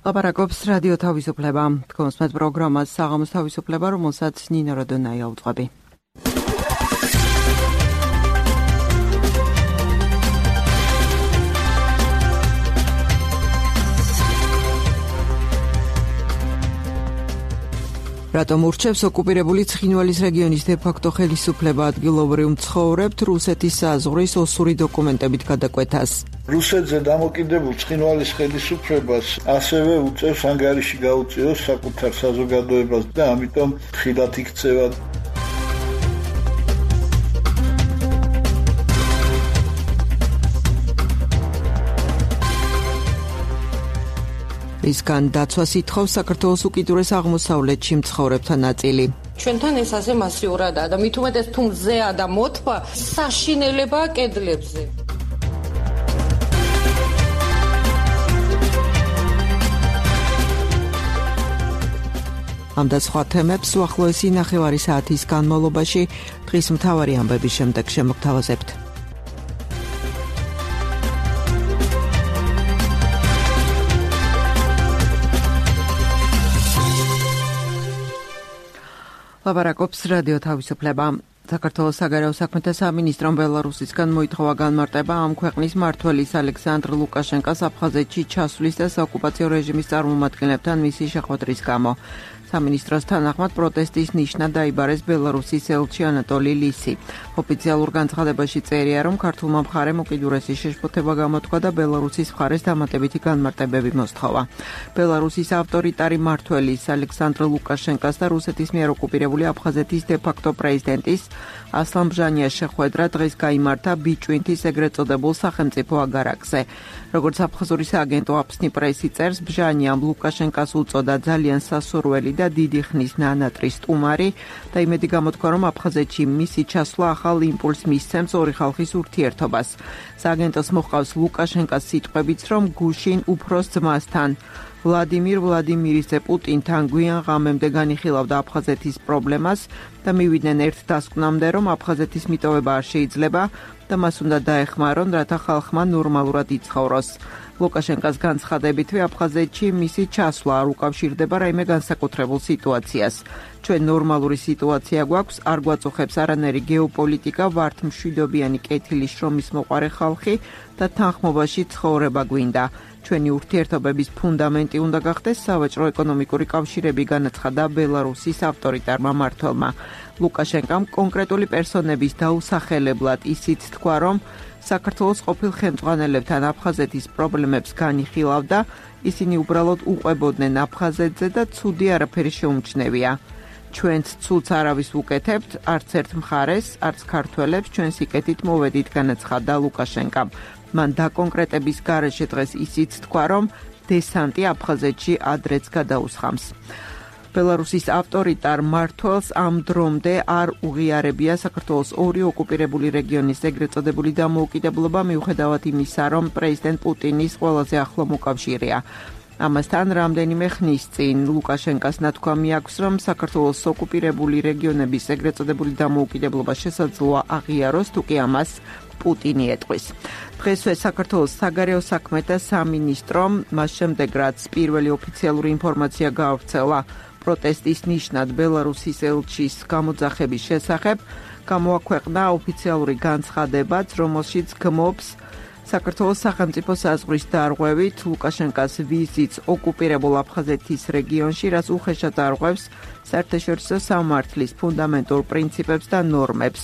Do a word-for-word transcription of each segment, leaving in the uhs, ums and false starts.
ლაპარაკობს რადიო თავისუფლება. თქვენს პროგრამას საღამოს თავისუფლება, რომელსაც ნინო როდონაია უძღვები. რატომ ურჩევს ოკუპირებული ცხინვალის რეგიონის დე-ფაქტო ხელისუფლება ადგილობრივ მცხოვრებთ რუსეთის საზღვრის ოსური დოკუმენტებით გადაკვეთას? რუსეთზე დამოკიდებულ ცხინვალის ხელისუფლებას ასევე უწევს ანგარიში გაუწიოს საკუთარ საზოგადოებას და ამიტომ ხილად იქცევა. რისგან დაცვას ითხოვს საქართველოს უკიდურეს აღმოსავლეთში მცხოვრებთა ნაწილი. ჩვენთან ეს ასე მასიურადაა და მით უმეტეს თუ მზეა და მოთვა საშინელებაა კედლებზე. ამ და სხვა თემებს უახლოესი ნახევარი საათის განმავლობაში დღის მთავარი ამბების შემდეგ შემოგთავაზებთ. ლაპარაკობს რადიო თავისუფლება. საქართველოს საგარეო საქმეთა სამინისტრომ ბელარუსისგან მოითხოვა განმარტება ამ ქვეყნის მმართველის ალექსანდრ ლუკაშენკოს აფხაზეთში ჩასვლის და საოკუპაციო რეჟიმის წარმომადგენლებთან მისი შეხვედრის გამო. სამინისტროს თანახმად პროტესტის ნიშნად დაიბარეს ბელარუსის ელჩი ანატოლი ლისი. ოფიციალურ განცხადებაში წერია, რომ ქართულმა მხარემ უკიდურესი შეშფოთება გამოთქვა და ბელარუსის მხარეს დამატებითი განმარტებები მოსთხოვა. ბელარუსის ავტორიტარი მმართველის ალექსანდრ ლუკაშენკოს და რუსეთის მიერ ოკუპირებული აფხაზეთის დე-ფაქტო პრეზიდენტის ასლან ბჟანიას შეხვედრა დღეს გაიმართა ბიჭვინთის ეგრეთ წოდებულ სახელმწიფო აგარაკზე. როგორც აფხაზური სააგენტო აფსნი პრესი წერს, ბჟანიამ ლუკაშენკოს უწოდა ძალიან სასურველი და დიდი ხნის ნანატრი სტუმარი და იმედი გამოთქვა, რომ აფხაზეთში მისი ჩასვლა ახალ იმპულსს მისცემს ორი ხალხის ურთიერთობას. სააგენტოს მოჰყავს ლუკაშენკოს სიტყვებიც, რომ გუშინ უფროს ძმასთან ვლადიმირ ვლადიმირიძე პუტინთან გვიან ღამემდე განიხილავდა აფხაზეთის პრობლემას და მივიდნენ ერთ დასკვნამდე, რომ აფხაზეთის მიტოვება არ შეიძლება და მას უნდა დაეხმარონ, რათა ხალხმა ნორმალურად იცხოვროს. ლუკაშენკოს განცხადებითვე აფხაზეთში მისი ჩასვლა არ უკავშირდება რაიმე განსაკუთრებულ სიტუაციას. ჩვენ ნორმალური სიტუაცია გვაქვს, არ გვაწუხებს არანაირი გეოპოლიტიკა, ვართ მშვიდობიანი კეთილი შრომის მოყარე ხალხი და თანხმობაში ცხოვრება გვინდა. ჩვენი ურთიერთობების ფუნდამენტი უნდა გახდეს სავაჭრო ეკონომიკური კავშირები, განაცხადა ბელარუსის ავტორიტარმა მმართველმა. ლუკაშენკომ კონკრეტული პერსონების დაუსახელებლად ისიც თქვა, რომ საქართველოს ყოფილ ხელმძღვანელებთან აფხაზეთის პრობლემებს განიხილავდა, ისინი უბრალოდ უყვებოდნენ აფხაზეთზე და ცუდი არაფერი შეუმჩნევია. ჩვენც ცუდს არავის ვუკეთებთ, არც ერთ მხარეს, არც ქართველებს ჩვენ სიკეთით მოვედით, განაცხადა ლუკაშენკომ. მან დაკონკრეტების გარეშე დღეს ისიც თქვა, რომ დესანტი აფხაზეთში ადრეც გადაუსხამს. ბელარუსის ავტორიტარ მმართველს ამ დრომდე არ უღიარებია საქართველოს ორი ოკუპირებული რეგიონის ეგრეთ წოდებული დამოუკიდებლობა, მიუხედავად იმისა, რომ პრეზიდენტ პუტინის ყველაზე ახლო მოკავშირეა. ამასთან რამდენიმე ხნის წინ ლუკაშენკოს ნათქვამი აქვს, რომ საქართველოს ოკუპირებული რეგიონების ეგრეთ წოდებული დამოუკიდებლობა შესაძლოა აღიაროს, თუკი ამას პუტინი ეტყვის. დღესვე საქართველოს საგარეო საქმეთა სამინისტრომ მას შემდეგ, რაც პირველი ოფიციალური ინფორმაცია გაავრცელა პროტესტის ნიშნად ბელარუსის ელჩის გამოძახების შესახებ, გამოაქვეყნა ოფიციალური განცხადებაც, რომელშიც გმობს საქართველოს სახელმწიფო საზღვრის დარღვევით ლუკაშენკოს ვიზიტს ოკუპირებულ აფხაზეთის რეგიონში, რაც უხეშად არღვევს საერთაშორისო სამართლის ფუნდამენტურ პრინციპებს და ნორმებს.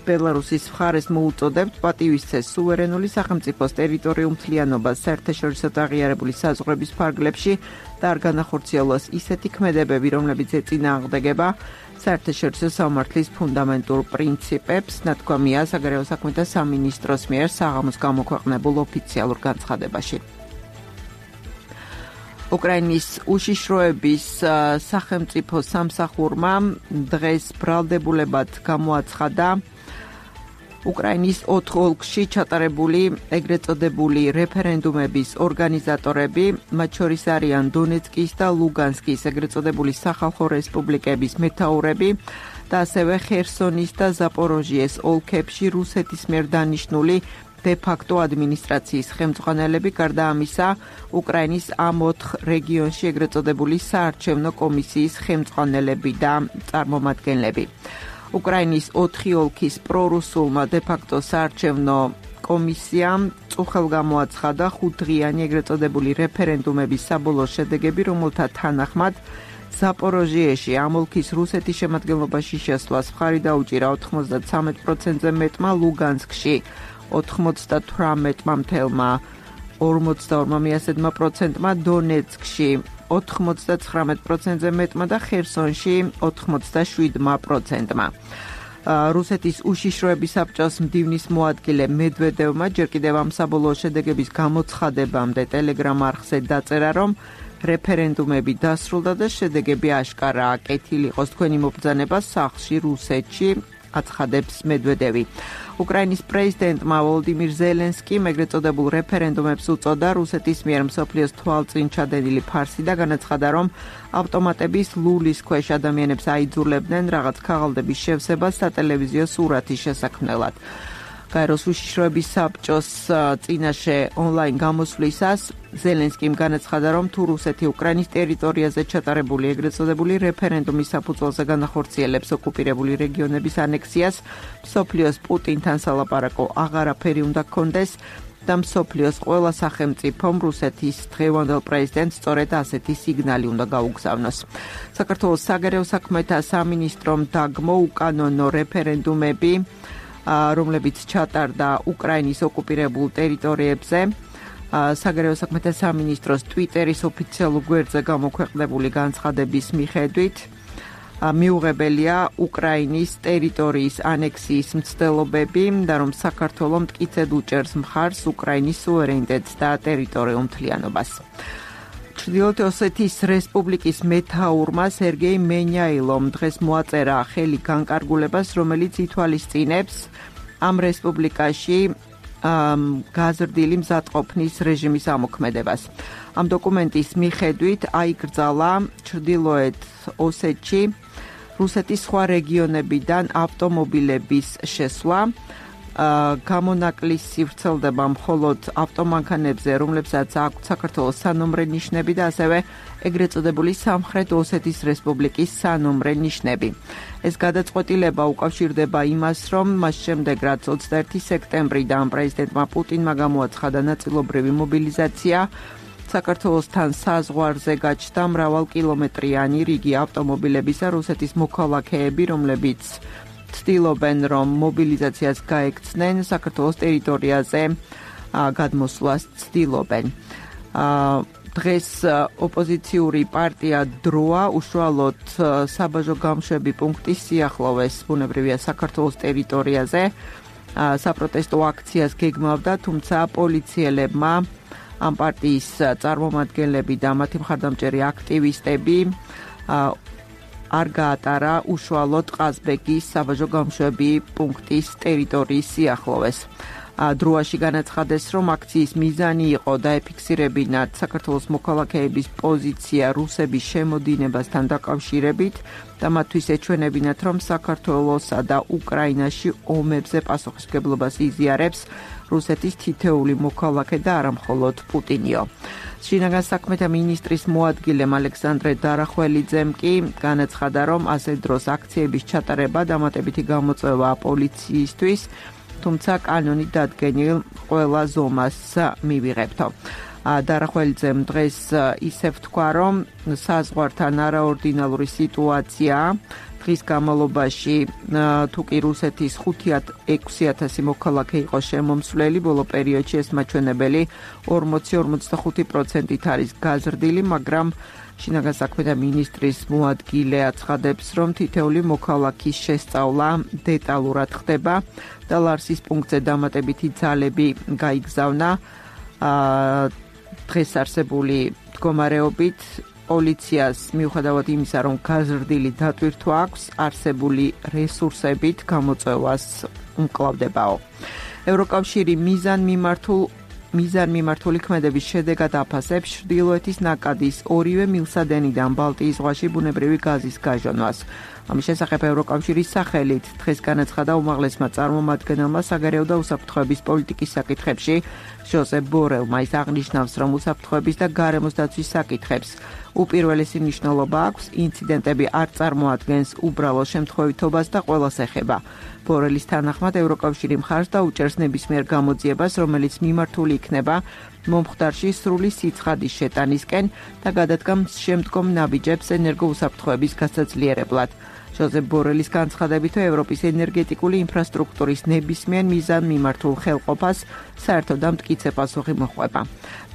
ბელარუსის მხარეს მოუწოდებთ პატივისცეს სუვერენული სახელმწიფოს ტერიტორიულ მთლიანობას საერთაშორისო აღიარებული საზღვრების ფარგლებში და არ განახორციელოს ისეთი ქმედებები, რომლებიც ეწინააღმდეგება საერთაშორისო სამართლის ფუნდამენტურ პრინციპებს, ნათქვამია საგარეო საქმეთა სამინისტროს მიერ საღამოს გამოქვეყნებულ ოფიციალურ განცხადებაში. უკრაინის უშიშროების სახელმწიფო სამსახურმა დღეს ბრალდებულებად გამოაცხადა უკრაინის ოთხ ოლქში ჩატარებული ეგრეთ წოდებული რეფერენდუმების ორგანიზატორები, მათ შორის არიან დონეცკის და ლუგანსკის ეგრეთ წოდებული სახალხო რესპუბლიკების მეთაურები და ასევე ხერსონის და ზაპოროჟიეს ოლქებში რუსეთის მიერ დანიშნული დე-ფაქტო ადმინისტრაციის ხელმძღვანელები, გარდა ამისა, უკრაინის ამ ოთხ რეგიონში ეგრეთ წოდებული საარჩევნო კომისიის ხელმძღვანელები და წარმომადგენლები. უკრაინის ოთხი ოლქის პრორუსულმა დე-ფაქტო საარჩევნო კომისიამ წუხელ გამოაცხადა ხუთდღიანი ეგრეთ წოდებული რეფერენდუმების საბოლოო შედეგები, რომელთა თანახმად ზაპოროჟიეში ამ ოლქის რუსეთის შემადგენლობაში შესვლას მხარი დაუჭირა ოთხმოცდათრამეტ პროცენტზე მეტმა, ლუგანსკში ოთხმოცდათვრამეტმა მთელმა ორმოცდაორმა მიასედმა პროცენტმა, დონეცკში ოთხმოცდაცხრამეტ პროცენტზე მეტმა და ხერსონში ოთხმოცდაშვიდმა პროცენტმა. რუსეთის უშიშროების საბჭოს მდივნის მოადგილე მედვედევმა ჯერ კიდევ ამ საბოლოო შედეგების გამოცხადებამდე ტელეგრამ არხზე დაწერა, რომ რეფერენდუმები დასრულდა და შედეგები აშკარაა. კეთილი იყოს თქვენი მობრძანება სახლში რუსეთში, აცხადებს მედვედევი. უკრაინის პრეზიდენტმა ვოლოდიმირ ზელენსკიმ ეგრეთ წოდებულ რეფერენდუმებს უწოდა რუსეთის მიერ მსოფლიოს თვალწინ ჩადენილი ფარსი და განაცხადა, რომ ავტომატების ლულის ქვეშ ადამიანებს აიძულებდნენ რაღაც ქაღალდების შევსებას სატელევიზიო სურათის შესაქმნელად. გაეროს უშიშროების საბჭოს წინაშე ონლაინ გამოსვლისას ზელენსკიმ განაცხადა, რომ თუ რუსეთი უკრაინის ტერიტორიაზე ჩატარებული ეგრეთ წოდებული რეფერენდუმის საფუძველზე განახორციელებს ოკუპირებული რეგიონების ანექსიას, მსოფლიოს პუტინთან სალაპარაკო აღარაფერი უნდა ჰქონდეს და მსოფლიოს ყველა სახელმწიფომ რუსეთის დღევანდელ პრეზიდენტს სწორედ ასეთი სიგნალი უნდა გაუგზავნოს. საქართველოს საგარეო საქმეთა სამინისტრომ დაგმო უკანონო რეფერენდუმები, რომლებიც ჩატარდა უკრაინის ოკუპირებულ ტერიტორიებზე. საგარეო საქმეთა სამინისტროს ტვიტერის ოფიციალურ გვერდზე გამოქვეყნებული განცხადების მიხედვით მიუღებელია უკრაინის ტერიტორიის ანექსიის მცდელობები და რომ საქართველო მტკიცედ უჭერს მხარს უკრაინის სუვერენიტეტს და ტერიტორიულ მთლიანობას. ჩრდილოეთ ოსეთის რესპუბლიკის მეთაურმა სერგეი მენიაილომ დღეს მოაწერა ხელი განკარგულებას, რომელიც ითვალისწინებს ამ რესპუბლიკაში გაზრდილი მზადყოფნის რეჟიმის ამოქმედებას. ამ დოკუმენტის მიხედვით აიკრძალა ჩრდილოეთ ოსეთში რუსეთის სხვა რეგიონებიდან ავტომობილების შესვლა, გამონაკლისი ვრცელდება მხოლოდ ავტომანქანებზე, რომლებსაც აქვთ საქართველოს სანომრე ნიშნები და ასევე ეგრეთ წოდებული სამხრეთ ოსეთის რესპუბლიკის სანომრე ნიშნები. ეს გადაწყვეტილება უკავშირდება იმას, რომ მას შემდეგ, რაც ოცდაერთი სექტემბრიდან პრეზიდენტმა პუტინმა გამოაცხადა ნაწილობრივი მობილიზაცია, საქართველოსთან საზღვარზე გაჩნდა მრავალკილომეტრიანი რიგი ავტომობილებისა რუსეთის მოქალაქეები, რომლებიც ცდილობენ, რომ მობილიზაციას გაექცნენ, საქართველოს ტერიტორიაზე გადმოსვლას ცდილობენ. დღეს ოპოზიციური პარტია დროა უშუალოდ საბაჟო გამშვები პუნქტის სიახლოვეს, ბუნებრივია საქართველოს ტერიტორიაზე, საპროტესტო აქციას გეგმავდა, თუმცა პოლიციელებმა ამ პარტიის წარმომადგენლები და მათი მხარდამჭერი აქტივისტები არ გაატარა უშუალოდ ყაზბეგის საბაჟო გამშვები პუნქტის ტერიტორიის სიახლოვეს. დროაში განაცხადეს, რომ აქციის მიზანი იყო დაეფიქსირებინათ საქართველოს მოქალაქეების პოზიცია რუსების შემოდინებასთან დაკავშირებით და მათთვის ეჩვენებინათ, რომ საქართველოსა და უკრაინაში ომებზე პასუხისმგებლობას იზიარებს რუსეთის თითეული მოქალაქე და არა მხოლოდ პუტინიო. შინაგან საქმეთა მინისტრის მოადგილემ ალექსანდრე დარახველიძემ კი განაცხადა, რომ ასე დროს აქციების ჩატარება დამატებითი გამოწვევაა პოლიციისთვის, თუმცა კანონი დადგენილ ყველა ზომას მივიღებთო. დარახველიძემ დღეს ისევ თქვა, რომ საზღვართან არაორდინალური სიტუაცია დღის განმავლობაში თუ კი რუსეთის ხუთი ექვსი ათასი მოქალაქე იყო შემომსვლელი, ბოლო პერიოდში ეს მაჩვენებელი ორმოცი ორმოცდახუთი პროცენტით არის გაზრდილი, მაგრამ შინაგან საქმეთა მინისტრის მოადგილე აცხადებს, რომ თითეული მოქალაქის შესწავლა დეტალურად ხდება და ლარსის პუნქტზე დამატებითი ძალები გაიგზავნა. დღეს არსებული მდგომარეობით პოლიციას მიუხედავად იმისა, რომ გაზრდილი დატვირთვა აქვს, არსებული რესურსებით გამოწვევას უმკლავდებაო. ევროკავშირი მიზან მიმართულ მიზან მიმართული ქმედების შედეგად აფასებს ჩრდილოეთის ნაკადის ორივე მილსადენიდან ბალტიის ზღვაში ბუნებრივი გაზის გაჟონვას. ამის შესახებ ევროკავშირის სახელით დღეს განაცხადა უმაღლესმა წარმომადგენელმა საგარეო და უსაფრთხოების პოლიტიკის საკითხებში ჟოზეფ ბორელმა. ის აღნიშნავს, რომ უსაფრთხოების და გარემოს დაცვის საკითხებს უპირველესი მნიშვნელობა აქვს, ინციდენტები არ წარმოადგენს უბრალო შემთხვევითობას და ყველას ეხება. ბორელის თანახმად ევროკავშირი მხარს დაუჭერს ნებისმიერ გამოძიებას, რომელიც მიმართული იქნება მომხდარში სრული სიცხადის შეტანისკენ და გადადგამს შემდგომ ნაბიჯებს ენერგოუსაფრთხოების გასაძლიერებლად. ჟოზეფ ბორელის განცხადებით, ევროპის ენერგეტიკული ინფრასტრუქტურის ნებისმიერ მიზან მიმართულ ხელყოფას საერთოდ და მტკიცე პასუხი მოჰყვება.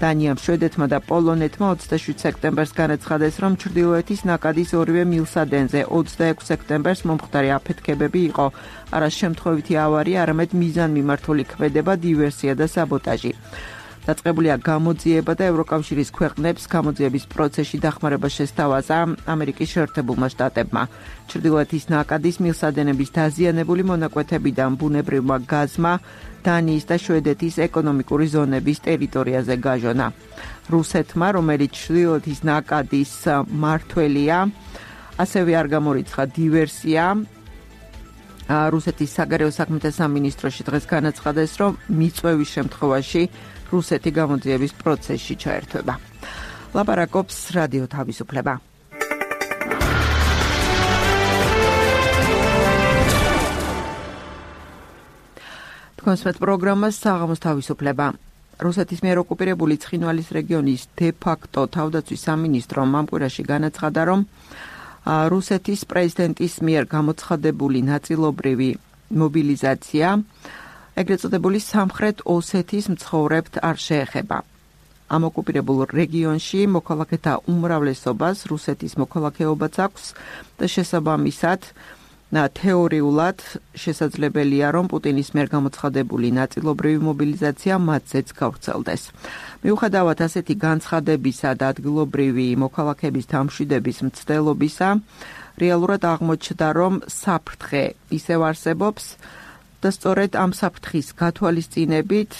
დანიამ, შვედეთმა და პოლონეთმა ოცდაშვიდ სექტემბერს განაცხადეს, რომ ჩრდილოეთის ნაკადის ორივე მილსადენზე ოცდაექვსი სექტემბერს მომხდარი აფეთქებები იყო არა შემთხვევითი ავარია, არამედ მიზანმიმართული ქმედება, დივერსია და საბოტაჟი. დაწყებულია გამოძიება და ევროკავშირის ქვეყნებს გამოძიების პროცესში დახმარება შესთავაზა ამერიკის შეერთებულმა შტატებმა. ჩრდილოეთის ნაკადის მილსადენების დაზიანებული მონაკვეთებიდან ბუნებრივმა გაზმა დანიის და შვედეთის ეკონომიკური ზონების ტერიტორიაზე გაჟონა. რუსეთმა, რომელიც ჩრდილოეთის ნაკადის მმართველია, ასევე არ გამორიცხა დივერსია. რუსეთის საგარეო საქმეთა სამინისტროში დღეს განაცხადეს, რომ მიწვევის შემთხვევაში რუსეთი გამოძიების პროცესში ჩაერთვება. ლაპარაკობს რადიო თავისუფლება. თქვენს პროგრამას საღამოს თავისუფლება. რუსეთის მიერ ოკუპირებული ცხინვალის რეგიონის დე-ფაქტო თავდაცვის სამინისტრომ ამ კვირაში განაცხადა, რომ რუსეთის პრეზიდენტის მიერ გამოცხადებული ნაწილობრივი მობილიზაცია ეგრეთ წოდებული სამხრეთ ოსეთის მცხოვრებთ არ შეეხება. ამ ოკუპირებულ რეგიონში მოქალაქეთა უმრავლესობას რუსეთის მოქალაქეობაც აქვს და შესაბამისად თეორიულად შესაძლებელია, რომ პუტინის მიერ გამოცხადებული ნაწილობრივი მობილიზაცია მათზეც გავრცელდეს. მიუხედავად ასეთი განცხადებისა და ადგილობრივი მოქალაქეების დამშვიდების მცდელობისა, რეალურად აღმოჩნდა, რომ საფრთხე ისევ არსებობს და სწორედ ამ საფრთხის გათვალისწინებით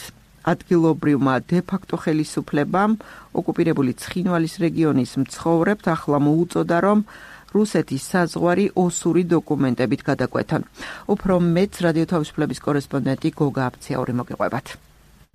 ადგილობრივმა დე-ფაქტო ხელისუფლებამ ოკუპირებული ცხინვალის რეგიონის მცხოვრებთ ახლა მოუწოდა, რომ რუსეთის საზღვარი ოსური დოკუმენტებით გადაკვეთონ. უფრო მეც რადიო თავისუფლების კორესპონდენტი გოგა აფციაური მოგიყვებათ.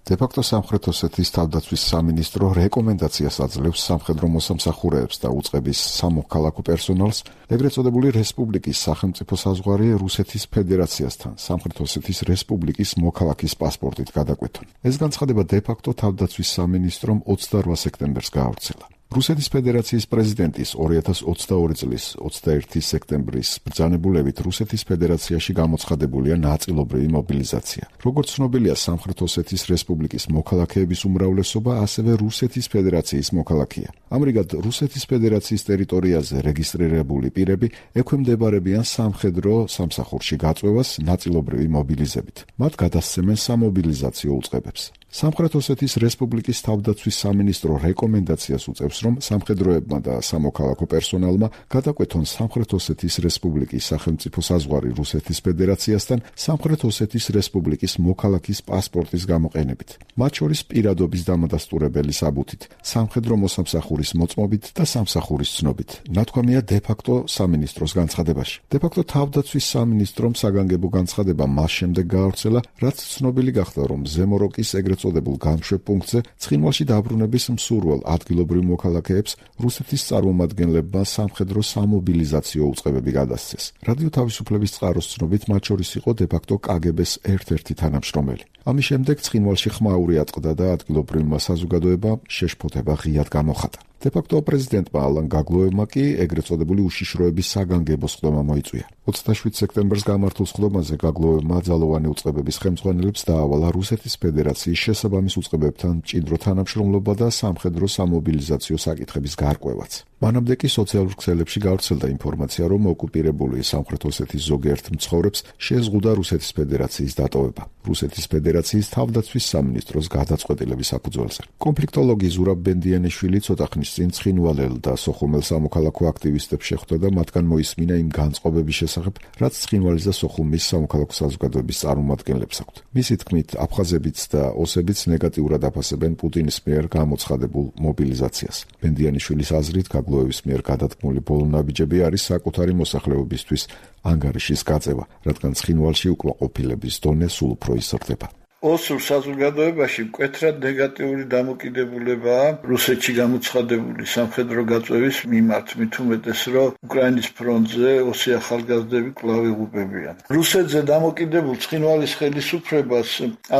დე-ფაქტო სამხრეთ ოსეთის თავდაცვის სამინისტრო რეკომენდაციას აძლევს სამხედრო მოსამსახურეებს და უწყების სამოქალაქო პერსონალს ეგრეთ წოდებული რესპუბლიკის სახელმწიფო საზღვარი რუსეთის ფედერაციასთან სამხრეთ ოსეთის რესპუბლიკის მოქალაქის პასპორტით გადაკვეთონ. ეს განცხადება დე-ფაქტო თავდაცვის სამინისტრომ ოცდაორ სექტემბერს გაავრცელა. რუსეთის ფედერაციის პრეზიდენტის ორი ათას ოცდაორი წლის ოცდაერთი სექტემბრის ბრძანებულებით რუსეთის ფედერაციაში გამოცხადებულია ნაწილობრივი მობილიზაცია. როგორც ცნობილია, სამხრეთ ოსეთის რესპუბლიკის მოქალაქეების უმრავლესობა ასევე რუსეთის ფედერაციის მოქალაქეა. ამრიგად, რუსეთის ფედერაციის ტერიტორიაზე რეგისტრირებული პირები ექვემდებარებიან სამხედრო სამსახურში გაწვევას ნაწილობრივი მობილიზებით. მათ გადასცემენ სამობილიზაციო უწყებებს. სამხრეთ ოსეთის რესპუბლიკის თავდაცვის სამინისტრო რეკომენდაციას უწევს, რომ სამხედროებმა და სამოქალაქო პერსონალმა გადაკვეთონ სამხრეთ ოსეთის რესპუბლიკის სახელმწიფო საზღვარი რუსეთის ფედერაციასთან სამხრეთ ოსეთის რესპუბლიკის მოქალაქის პასპორტის გამოყენებით. მათ შორის პირადობის დამადასტურებელი საბუთით, სამხედრო მოსამსახურის მოწმობით და სამსახურის ცნობით. ნათქვამია დე-ფაქტო სამინისტროს განცხადებაში. დე-ფაქტო თავდაცვის სამინისტრომ საგანგებო განცხადება მას შემდეგ გაავრცელა, რაც ცნობილი გახდა, რომ ზემოროკის ეგრეთ წოდებულ გამშვებ პუნქტზე ცხინვალში დაბრუნების მსურველ ადგილობრივ მოქალაქეებს რუსეთის წარმომადგენლებმა სამხედრო სამობილიზაციო უწყებები გადასცეს. რადიო თავისუფლების წყაროს ცნობით, მათ შორის იყო დე-ფაქტო კაგებეს ერთ-ერთი თანამშრომელი. ამის შემდეგ ცხინვალში ხმაური აწყდა და ადგილობრივმა საზოგადოებამ შეშფოთება ღიად გამოხატა. დე-ფაქტო პრეზიდენტმა ალან გაგლოევმა კი ეგრეთ წოდებული უშიშროების საგანგებო სხდომა მოიწვია. ოცდაშვიდ სექტემბერს გამართულ სხდომაზე გაგლოევმა ძალოვანი უწყებების ხელმძღვანელებს დაავალა რუსეთის ფედერაციის შესაბამის უწყებებთან მჭიდრო თანამშრომლობა და სამხედრო სამობილიზაციო საკითხების გარკვევაც. მანამდე კი სოციალურ ქსელებში გავრცელდა ინფორმაცია, რომ ოკუპირებული სამხრეთ ოსეთის ზოგიერთ მცხოვრებს შეზღუდა რუსეთის ფედერაციის დატოვება. რუსეთის ფედერაციის თავდაცვის სამინისტროს გადაწყვეტილების საფუძველზე. კონფლიქტოლოგი ზურაბ ბენდიანიშვილი ცოტა ხნის წინ ცხინვალელ და სოხუმელ სამოქალაქო აქტივისტებს შეხვდა და მათგან მოისმინა იმ განწყობების შესახებ, რაც ცხინვალის და სოხუმის სამოქალაქო საზოგადოების წარმომადგენლებს აქვთ. მისი თქმით, აფხაზებიც და ოსებიც ნეგატიურად აფასებენ პუტინის მიერ გამოცხადებულ მობილიზაციას. ბენდიანიშვილის აზრით, საგლოვების მიერ გადადგმული ბოლო ნაბიჯები არის საკუთარი მოსახლეობისთვის ანგარიშის გაწევა, რადგან ცხინვალში უკმაყოფილების დონე სულ უფრო იზრდება. ოსურ საზოგადოებაში მკვეთრად ნეგატიური დამოკიდებულებაა რუსეთში გამოცხადებული სამხედრო გაწევის მიმართ, მით უმეტეს, რომ უკრაინის ფრონტზე ოსი ახალგაზრდები კვლავ იღუპებიან. რუსეთზე დამოკიდებულ ცხინვალის ხელისუფლებას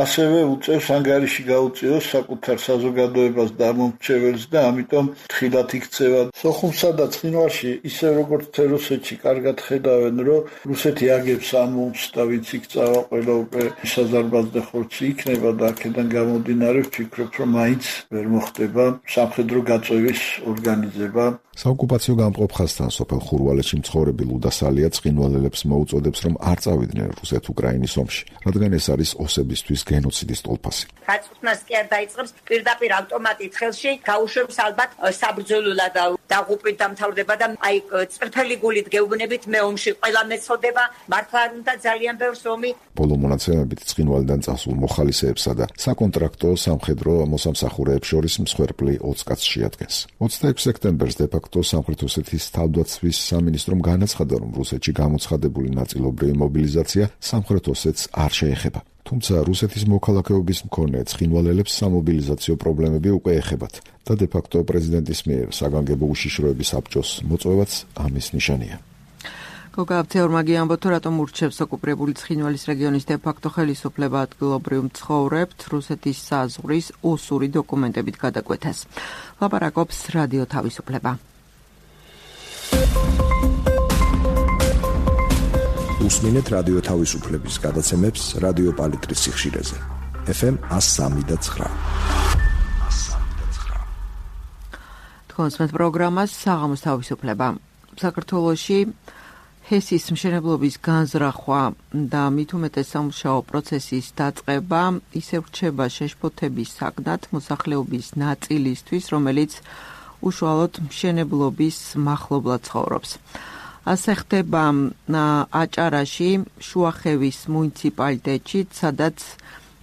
ასევე უწევს ანგარიში გაუწიოს საკუთარ საზოგადოებას დამომრჩეველს და ამიტომ თხილად იქცევა. სოხუმსა და ცხინვალში, ისე როგორც რუსეთში, კარგად ხედავენ, რომ რუსეთი აგებს ამ ომს და ვინც იქ წავა, ყველა უკვე საზარბაზნე იქნება და აქედან გამომდინარე ვფიქრობ, რომ მაინც ვერ მოხდება სამხედრო გაწევის ორგანიზება. საოკუპაციო გამყოფ ხაზთან სოფელ ხურვალეთში მცხოვრები ლუდა სალია ცხინვალელებს მოუწოდებს, რომ არ წავიდნენ რუსეთ-უკრაინის ომში, რადგან ეს არის ოსებისთვის გენოციდის ტოლფასი. გაწყვეტნას კი არ დაიწყებს პირდაპირ ავტომატით ხელში, გაუშვებს ალბათ საბრძოლულად დაღუპვით დამთავრდება და აი წრფელი გულით გეუბნებით მე ომში ყველა მეცოდება, მართლა არ უნდა ძალიან ბევრს ომი. ბოლო მონაცემებით ცხინვალიდან წასულ მოხალისეებსა და საკონტრაქტო სამხედრო მოსამსახურეებს შორის მსხვერპლი ოცი კაცს შეადგენს. ოცდაექვსი სექტემბერს დე-ფაქტო სამხრეთ ოსეთის თავდაცვის სამინისტრომ განაცხადა, რომ რუსეთში გამოცხადებული ნაწილობრივი მობილიზაცია სამხრეთ ოსეთს არ შეეხება. თუმცა რუსეთის მოქალაქეობის მქონე ცხინვალელებს სამობილიზაციო პრობლემები უკვე ეხებათ და დე-ფაქტო პრეზიდენტის მიერ საგანგებო უშიშროების საბჭოს მოწვევაც ამის ნიშანია. გოგაბცეორმაგი ამბობთ, რატომ ურჩევს ოკუპირებული ცხინვალის რეგიონის დე-ფაქტო ხელისუფლება ადგილობრივ მცხოვრებთ რუსეთის საზღვრის ოსური დოკუმენტებით გადაკვეთას. ლაპარაკობს რადიო თავისუფლება. უსმინეთ რადიო თავისუფლების გადაცემებს რადიო პალიტრის სიხშირეზე. ეფ ემ one oh three point nine. თქვენს პროგრამას საღამოს თავისუფლება. საქართველოში ჰესის მშენებლობის განზრახვა და მით უმეტეს სამუშაო პროცესის დაწყება ისევ რჩება შეშფოთების საგნად მოსახლეობის ნაწილისთვის, რომელიც უშუალოდ მშენებლობის მახლობლად ცხოვრობს. ასე ხდება აჭარაში, შუახევის მუნიციპალიტეტში, სადაც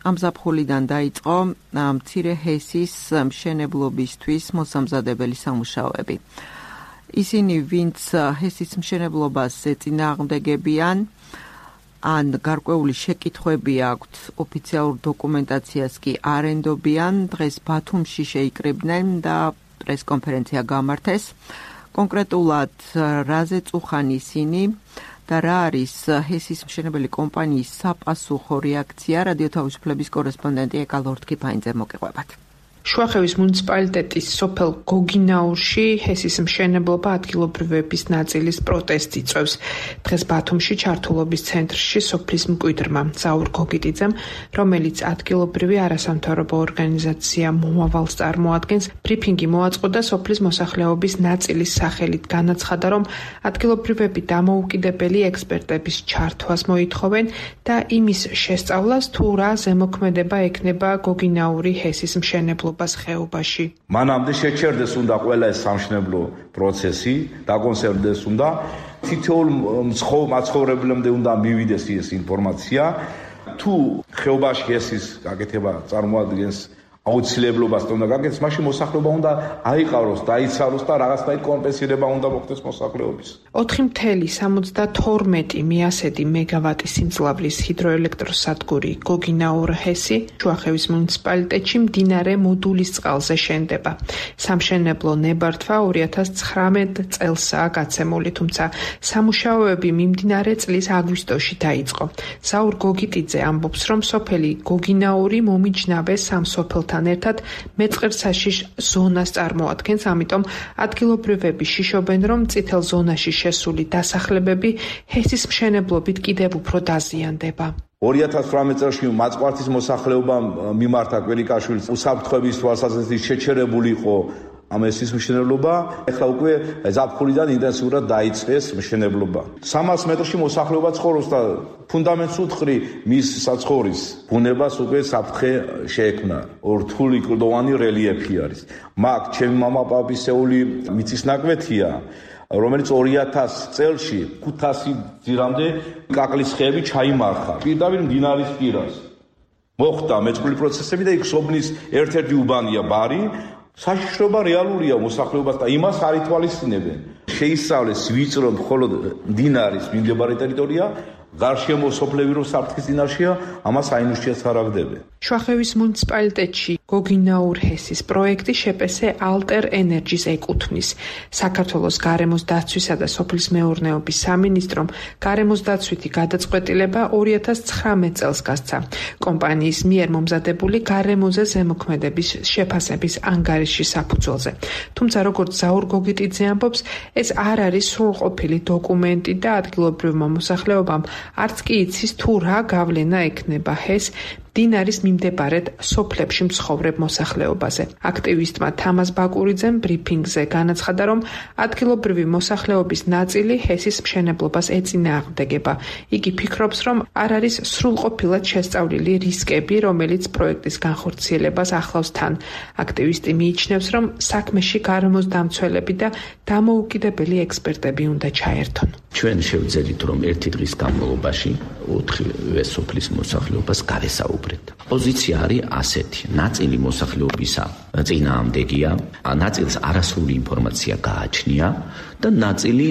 ამ ზაფხულიდან დაიწყო მცირე ჰესის მშენებლობისთვის მოსამზადებელი სამუშაოები. ისინი, ვინც ჰესის მშენებლობას ეწინააღმდეგებიან, ან გარკვეული შეკითხვები აქვთ, ოფიციალურ დოკუმენტაციას კი არ ენდობიან, დღეს ბათუმში შეიკრიბნენ და პრესკონფერენცია გამართეს. კონკრეტულად, რაზე წუხან ისინი და რა არის ჰესის მშენებელი კომპანიის საპასუხო რეაქცია, რადიო თავისუფლების კორესპონდენტი ეკა ლორდ-კიფაინძე მოგიყვებათ. შუახევის მუნიციპალიტეტის სოფელ გოგინაურში ჰესის მშენებლობა ადგილობრივების ნაწილის პროტესტი იწვევს. დღეს ბათუმში ჩართულობის ცენტრში სოფლის მკვიდრმა ზაურ გოგიტიძემ, რომელიც ადგილობრივი არასამთავრობო ორგანიზაცია მომავალს წარმოადგენს, ბრიფინგი მოაწყო და სოფლის მოსახლეობის ნაწილის სახელით განაცხადა, რომ ადგილობრივები დამოუკიდებელი ექსპერტების ჩართვას მოითხოვენ და იმის შესწავლას, თუ რა ზემოქმედება ექნება გოგინაური ჰესის მშენებლობა ხეობაში. მანამდე შეჩერდეს უნდა ყველა ეს სამშენებლო პროცესი, დაკონსერვდეს უნდა, თითოეულ მაცხოვრებლამდე უნდა მივიდეს ეს ინფორმაცია, თუ ხეობაში ესის გაკეთება წარმოადგენს აუცილებლობას უნდა გაკეთდეს, მაშინ მოსახლეობა უნდა აიყაროს, დაიცაროს და რაღაცნაირ კომპენსირება უნდა მოხდეს მოსახლეობის. ოთხი ათეული სამოცდათორმეტი მიასედი მეგავატის სიმძლავრის ჰიდროელექტროსადგური გოგინაურ ჰესი შუახევის მუნიციპალიტეტში მდინარე მოდულის წყალზე შენდება. სამშენებლო ნებართვა ორი ათას ცხრამეტ წელსაა გაცემული, თუმცა სამუშაოები მიმდინარე წლის აგვისტოში დაიწყო. ზაურ გოგიტიძე ამბობს, რომ სოფელი გოგინაური მომიჯნავე სამ სოფელთან ერთად მეწყერსაშიშ ზონას წარმოადგენს, ამიტომ ადგილობრივები შიშობენ, რომ წითელ ზონაში შესული დასახლებები ჰესის მშენებლობით კიდევ უფრო დაზიანდება. ორი ათას ცხრამეტ წელს მაწყვართის მოსახლეობამ მიმართა კვირიკაშვილის უსაფრთხოების თვალსაზრისით შეჩერებული იყო ამ ჰესის მშენებლობა, ეხლა უკვე ზაფხულიდან ინტენსიურად დაიწყეს მშენებლობა. სამას მეტრში მოსახლეობა ცხოვრობს და ფუნდამენტს უთხრი მის საცხოვრის ბუნებას უკვე საფრთხე შეექმნა. რთული კლდოვანი რელიეფი არის. მაგ ჩემი მამაპაპისეული მიწის ნაკვეთია, რომელიც ორი ათას წელში ხუთასი ძირამდე კაკლის ხეები ჩაიმარხა პირდაპირ მდინარის პირას. მოხდა მეწყრული პროცესები და იქ სოფლის ერთ-ერთი უბანია ბარი, საშიშრობა რეალურია მოსახლეობას და იმას არ ითვალისწინებენ. შეისწავლეს ვიწრო მხოლოდ მდინარის მიმდებარე ტერიტორია, გარშემო სოფლები რომ საფრთხის წინაშეა, ამას აინუშიას არ აგდებენ. შუახევის მუნიციპალიტეტში გოგინაურ ჰესის პროექტი შეპესე ალტერ ენერჯის ეკუთვნის. საქართველოს გარემოს დაცვისა და სოფლის მეურნეობის სამინისტრომ გარემოს დაცვითი გადაწყვეტილება ორი ათას ცხრამეტ წელს გასცა. კომპანიის მიერ მომზადებული გარემოზე ზემოქმედების შეფასების ანგარიში საფუძველზე. თუმცა როგორც ზაურ გოგიტიძე ამბობს, ეს არ არის სრულყოფილი დოკუმენტი და ადგილობრივმა მოსახლეობამ არც კი იცის თუ რა გავლენა ექნება ჰეს მდინარის მიმდებარედ სოფლებში მსხოვრებ მოსახლეობაზე. აქტივისტმა თამაზ ბაკურიძემ ბრიფინგზე განაცხადა, რომ ადგილობრივი მოსახლეობის ნაწილი ჰესის მშენებლობას ეწინააღმდეგება. იგი ფიქრობს, რომ არ არის სრულყოფილად შესწავლილი რისკები, რომელიც პროექტის განხორციელებას ახლავს თან. აქტივისტი მიიჩნევს, რომ საქმეში გარემოს დამცველები და დამოუკიდებელი ექსპერტები უნდა ჩაერთონ. ჩვენ შევძელით, რომ ერთი დღის განმავლობაში ოთხივე სოფლის მოსახლეობას გავესაუბრეთ. პოზიცია არის ასეთი: ნაწილი მოსახლეობისა წინააღმდეგია, ნაწილს არასრული ინფორმაცია გააჩნია და ნაწილი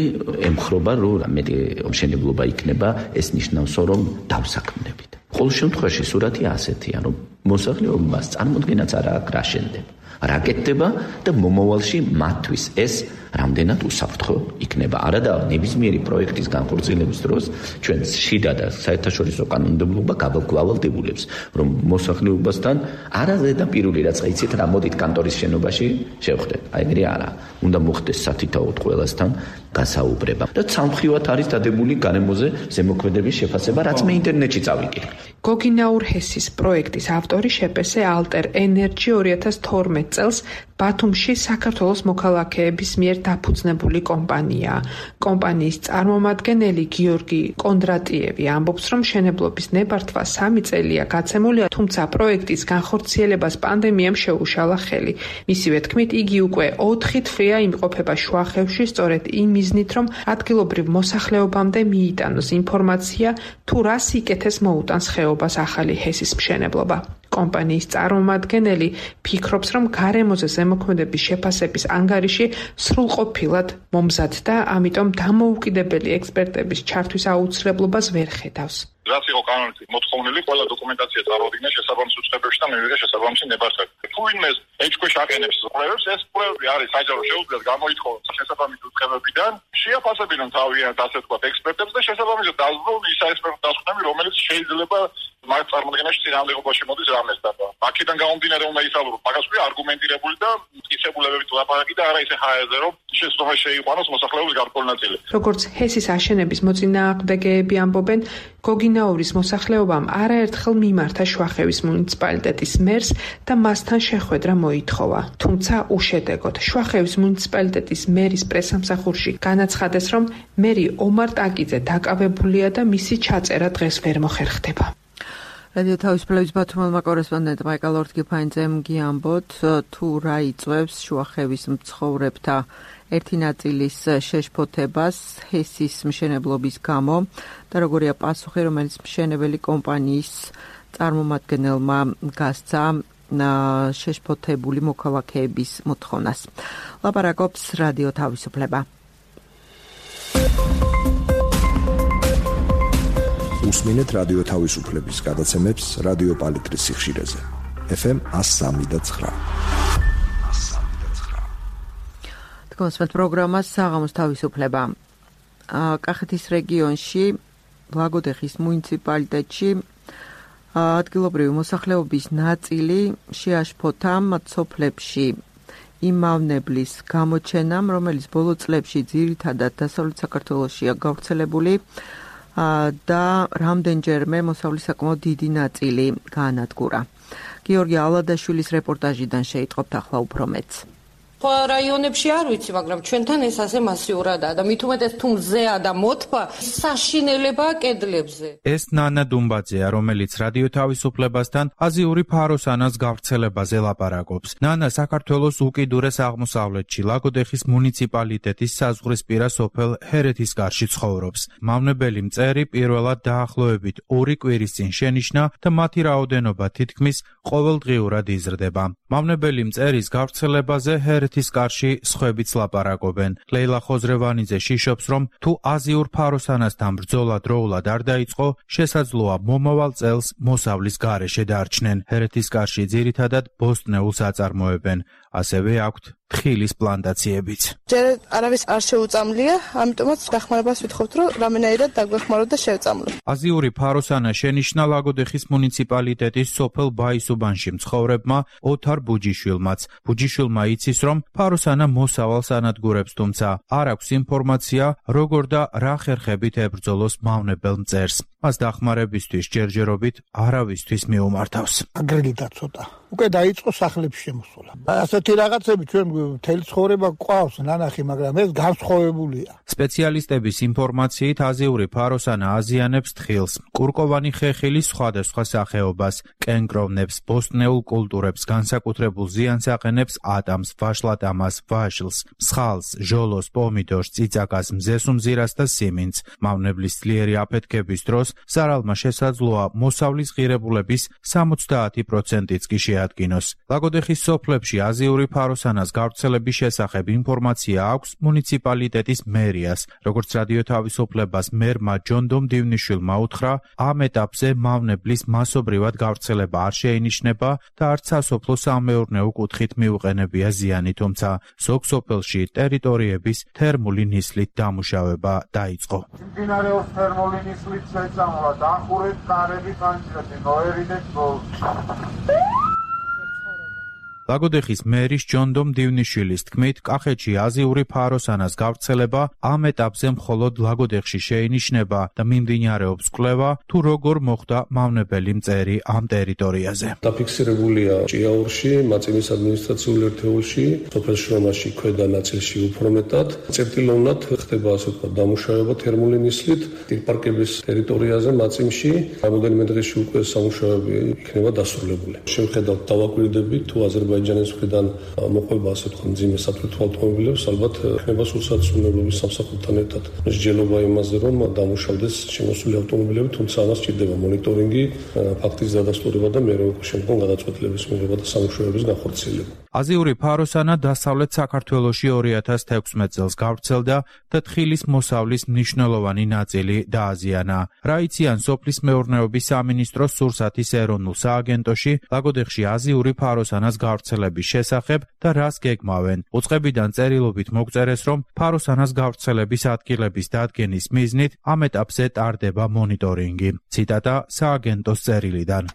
ემხრობა, რომ მეტი მშენებლობა იქნება, ეს ნიშნავს, რომ დავსაქმნებით. ყოველ შემთხვევაში სურათი ასეთია, რომ მოსახლეობას წარმოდგენაც არ აქვს რა შენდება, რა კეთდება და მომავალში მათთვის ეს რამდენად უსაფრთხო იქნება. არადა ნებისმიერი პროექტის განხორციელების დროს ჩვენ შიდა და საერთაშორისო კანონმდებლობა გავალდებულებს, რომ მოსახლეობასთან არა ზედაპირული რაცა იცით რა მოდით კანტორის შენობაში შევხვდეთ. აი ეგრე არა. უნდა მოხდეს სათითაოდ ყველასთან გასაუბრება. და სამხრივად არის დადებული გარემოზე ზემოქმედების შეფასება, რაც მე ინტერნეტში წავიკითხე. გოგინაურ ჰესის პროექტის ავტორი შეპესე ალტერ ენერჯი ორი ათას თორმეტ წელს ბათუმში საქართველოს მოქალაქეების მიერ დაფუძნებული კომპანიაა. კომპანიის წარმომადგენელი გიორგი კონდრატიევი ამბობს, რომ მშენებლობის ნებართვა სამი წელია გაცემულია, თუმცა პროექტის განხორციელებას პანდემიამ შეუშალა ხელი. მისივე თქმით, იგი უკვე ოთხი თვეა იმყოფება შუახევში, სწორედ იმ მიზნით, რომ ადგილობრივ მოსახლეობამდე მიიტანოს ინფორმაცია, თუ რა სიკეთეს მოუტანს ხეობას ახალი ჰესის მშენებლობა. კომპანიის წარმომადგენელი ფიქრობს, რომ გარემოზე ზემოქმედების შეფასების ანგარიში სრულყოფილად მომზადდა, ამიტომ დამოუკიდებელი ექსპერტების ჩართვის აუცილებლობას ვერ ხედავს. რაც იყო კანონით მოთხოვნილი, ყველა დოკუმენტაცია წარუდგინა შესაბამის უწყებებში და მივიღე შესაბამისი ნებართვები. თუ ვინმე ეჭქვეშ აყენებს კვლევებს, ეს კვლევები არის საჯარო შეუძლიათ გამოითხოვოს შესაბამის უწყებებიდან, შეაფასებინონ თავიანთ ასე ვთქვათ ექსპერტებს და შესაბამისად დაძლევონ ის ექსპერტთა დასკვნები, რომელიც შეიძლება მათ წარმოადგენაში წინააღმდეგობაში მოდის რამეს და აქედან გამომდინარე უნდა ისაუბროთ მაგას ვი არგუმენტირებული და მტკიცებულებებით ლაპარაკი და არა ისე ხაერზე, რომ შესაძლოა შეიყვანოს მოსახლეობის გარკვეული ნაწილი. როგორც ჰესის აშენების მოწინააღმდეგეები ამბობენ, გოგინაურის მოსახლეობამ არაერთხელ მიმართა შუახევის მუნიციპალიტეტის მერს და მასთან შეხვედრა მოითხოვა. თუმცა უშედეგოდ. შუახევის მუნიციპალიტეტის მერის პრესამსახურში განაცხადეს, რომ მერი ომარ ტაკიძე დაკავებულია და მისი ჩაწერა დღეს ვერ მოხერხდება. რადიო თავისუფლების ბათუმელმა კორესპონდენტმა მაიკალ ორთგიფაინძემ გიამბოთ, თუ რა იწვევს შუახევის მცხოვრებთა ერთი ნაწილის შეშფოთებას ჰესის მშენებლობის გამო და როგორია პასუხი, რომელიც მშენებელი კომპანიის წარმომადგენელმა გასცა შეშფოთებული მოქალაქეების მოთხოვნას. ლაპარაკობს რადიო თავისუფლება. უსმინეთ რადიო თავისუფლების გადაცემებს რადიო პალიტრის სიხშირეზე. ეფ ემ one oh three point nine. თქვენს პროგრამას საღამოს თავისუფლება. კახეთის რეგიონში, ლაგოდეხის მუნიციპალიტეტში ადგილობრივი მოსახლეობის ნაწილი შეაშფოთა სოფლებში იმავნებლის გამოჩენამ, რომელიც ბოლო წლებში ძირითადად დასავლეთ საქართველოშია გავრცელებული და რამდენჯერმე მოსავლის საკმაოდ დიდი ნაწილი გაანადგურა. გიორგი ალადაშვილის რეპორტაჟიდან შეიტყობთ ახლა უფრო მეტს. სხვა რაიონებში არ ვიცი, მაგრამ ჩვენთან ეს ასე მასიურადაა და მით უმეტეს თუ მზეა და მოთბა, საშინელებაა კედლებზე. ეს ნანა დუმბაძეა, რომელიც რადიო თავისუფლებასთან აზიური ფაროსანას გავრცელებაზე ლაპარაკობს. ნანა საქართველოს უკიდურეს აღმოსავლეთში, ლაგოდეხის მუნიციპალიტეტის საზღვრისპირა სოფელ ჰერეთისკარში ცხოვრობს. მავნებელი მწერი პირველად დაახლოებით ორი კვირის წინ შენიშნა და მათი რაოდენობა თითქმის ყოველდღიურად იზრდება. მავნებელი მწერის გავრცელებაზე ჰერეთისკარში სხვებიც ლაპარაკობენ. ლეილა ხოზრევანიძე შიშობს, რომ თუ აზიურ ფაროსანასთან ბრძოლა დროულად არ დაიწყო, შესაძლოა მომავალ წელს მოსავლის გარეშე დარჩნენ. ჰერეთისკარში ძირითადად ბოსტნეულს აწარმოებენ. ასევე აქვთ თხილის პლანტაციებიც. ჯერ არავის არ შეუწამლია, ამიტომაც დახმარებას ვითხოვთ, რომ რამენაირად დაგვეხმაროთ და შევწამლოთ. აზიური ფაროსანა შენიშნა ლაგოდეხის მუნიციპალიტეტის სოფელ ბაისუბანში მცხოვრებმა ოთარ ბუჯიშვილმაც. ბუჯიშვილმა იცის, რომ ფაროსანა მოსავალს ანადგურებს, თუმცა არ აქვს ინფორმაცია, როგორ და რა ხერხებით ებრძოლოს მავნებელ მწერს. მას დახმარებისთვის ჯერჯერობით არავისთვის მიუმართავს. აგრილდა ცოტა. უკვე დაიწყო სახლებში შემოსვლა. ასეთი რაღაცები ჩვენ მთელი ცხოვრება გვყავს ნანახი, მაგრამ ეს განსხვავებულია. სპეციალისტების ინფორმაციით აზიური ფაროსანა აზიანებს თხილს, კურკოვანი ხეხილის სხვადასხვა სახეობას, კენკროვნებს, ბოსტნეულ კულტურებს, განსაკუთრებულ ზიანს აყენებს ატამს, ვაშლატამას, ვაშლს, მსხალს, ჟოლოს, პომიდორს, წიწაკას, მზესუმზირას და სიმინდს. მავნებლის ძლიერი აფეთქების დროს ზარალმა შესაძლოა მოსავლის ღირებულების სამოცდაათი პროცენტიც კი შეადგინოს. ლაგოდეხის სოფლებში აზიური ფაროსანას გავრცელების შესახებ ინფორმაცია აქვს მუნიციპალიტეტის მერიას. როგორც რადიო თავისუფლებას მერმა ჯონდომ დივნიშვილმა უთხრა, ამ ეტაპზე მავნებლის მასობრივად გავრცელება არ შეინიშნება და არც სასოფლო-სამეურნეო კუთხით მიუყენებია ზიანი, თუმცა ზოგ სოფელში ტერიტორიების თერმული ნისლით დამუშავება დაიწყო. მიმდინარეობს თერმული ნისლით შეწამლა, დახურეთ კარები ხანჯრეთი, ნოერიდეთ ბოლოს. ლაგოდეხის მერის ჯონდომ დივნიშვილის თქმით, კახეთში აზიური ფაროსანას გავრცელება ამ ეტაპზე მხოლოდ ლაგოდეხში შეინიშნება და მიმდინარეობს კვლევა, თუ როგორ მოხდა მავნებელი მწერი ამ ტერიტორიაზე. დაფიქსირებულია ჭიაურში, მაწინის ადმინისტრაციულ ერთეულში, სოფელ შრომაში ქვედა ნაწილში უფრო მეტად. წერტილოვნად ხდება ასე ვთქვათ დამუშავება თერმული ნისლით, ტირპარკების ტერიტორიაზე მაწიმში რამოდენიმე დღეში უკვე სამუშაოები იქნება დასრულებული. შევხედავთ დავაკვირდებით თუ აზერბაიჯანის მხრიდან მოყვება ასე ვთქვათ მძიმე საფრთხე ავტომობილებს, ალბათ ხდება სულსაწუნებლობის სამსახურთან ერთად მსჯელობა იმაზე, რომ დამუშავდეს შემოსული ავტომობილები, თუმცა ამას სჭირდება მონიტორინგი, ფაქტის დადასტურება და მერე უკვე შემდგომ გადაწყვეტილების მიღება და სამუშაოების განხორციელება. აზიური ფაროსანა დასავლეთ საქართველოში ორი ათას თექვსმეტ წელს გავრცელდა და თხილის მოსავლის მნიშვნელოვანი ნაწილი დააზიანა. რაიციან სოფლის მეურნეობის სამინისტროს სურსათის ეროვნულ სააგენტოში ლაგოდეხში აზიური ფაროსანას გავრცელების შესახებ და რას გეგმავენ. უწყებიდან წერილობით მოგწერეს, რომ ფაროსანას გავრცელების ადგილების დადგენის მიზნით ამ ეტაპზე ტარდება მონიტორინგი. ციტატა სააგენტოს წერილიდან.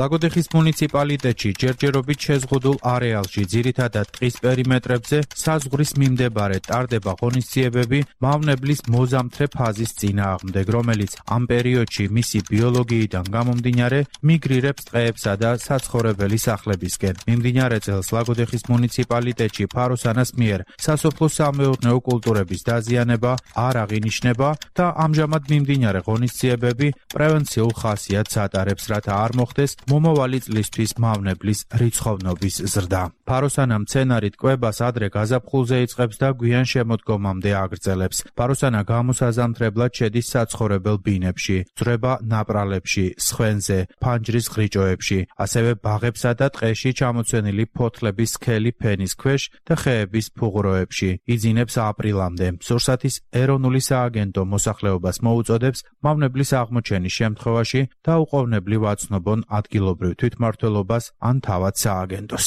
ლაგოდეხის მუნიციპალიტეტში ჯერჯერობით შეზღუდულ არეალში ძირითადად ტყის პერიმეტრებზე საზღვრის მიმდებარე ტარდება ღონისძიებები მავნებლის მოზამთრე ფაზის წინააღმდეგ, რომელიც ამ პერიოდში მისი ბიოლოგიიდან გამომდინარე მიგრირებს ტყეებსა და საცხოვრებელი სახლებისკენ. მიმდინარე წელს ლაგოდეხის მუნიციპალიტეტში ფაროსანას მიერ სასოფლო-სამეურნეო კულტურების დაზიანება არ აღინიშნება და ამჟამად მიმდინარე ღონისძიებები პრევენციულ ხასიათს ატარებს, რათა არ მოხდეს მომავალი წლისთვის მავნებლის რიცხოვნობის ზრდა. ფაროსანა მცენარით კვებას ადრე გაზაფხულზე იწყებს და გვიან შემოდგომამდე აგრძელებს. ფაროსანა გამოსაზამთრებლად შედის საცხოვრებელ ბინებში, ძვრება ნაპრალებში, სხვენზე, ფანჯრის ღრიჭოებში, ასევე ბაღებსა და ტყეში ჩამოცვენილი ფოთლების სქელი ფენის ქვეშ და ხეების ფუღუროებში. იძინებს აპრილამდე. სურსათის ეროვნული სააგენტო მოსახლეობას მოუწოდებს მავნებლის აღმოჩენის შემთხვევაში დაუყოვნებლივ აცნობონ ადგილობრივ თვითმმართველობას ან თავად სააგენტოს.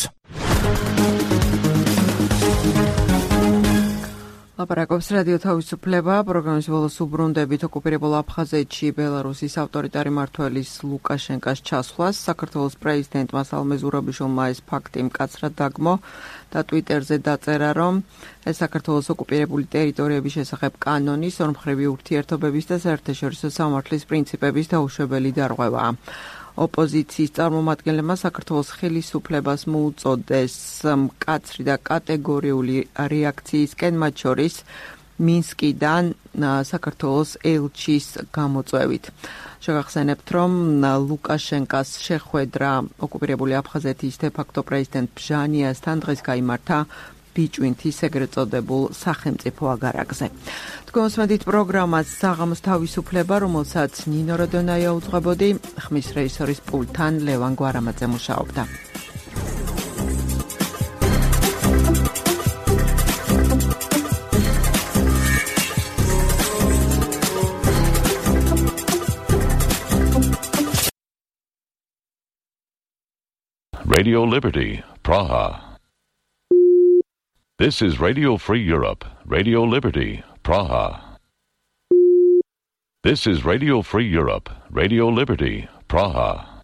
ლაპარაკობს რადიო თავისუფლება, პროგრამის ბოლოს უბრუნდებით ოკუპირებულ აფხაზეთში ბელარუსის ავტორიტარი მმართველის ლუკაშენკას ჩასვლას. საქართველოს პრეზიდენტმა სალომე ზურაბიშვილმა ეს ფაქტი მკაცრად დაგმო და ტვიტერზე დაწერა, რომ ეს საქართველოს ოკუპირებული ტერიტორიების შესახებ კანონის, ორმხრივი ურთიერთობების და საერთაშორისო სამართლის პრინციპების დაუშვებელი დარღვევაა. ოპოზიციის წარმომადგენლებმა საქართველოს ხელისუფლებას მოუწოდეს მკაცრი და კატეგორიული რეაქციისკენ, მათ შორის მინსკიდან საქართველოს ელჩის გამოწვევით. შეგახსენებთ, რომ ლუკაშენკას შეხვედრა ოკუპირებული აფხაზეთის დე-ფაქტო პრეზიდენტ ბჟანიასთან დღეს გაიმართა ბიჭვინთის ეგრეთ წოდებულ სახელმწიფო აგარაკზე. თქვენსმენთ პროგრამას საღამოს თავისუფლება, რომელსაც ნინო როდონაია უძღვებოდი, ხმის რეჟისორის პულტთან ლევან გვარამაძე მუშაობდა. Radio Liberty, Praha. This is Radio Free Europe, Radio Liberty, Praha. This is Radio Free Europe, Radio Liberty, Praha.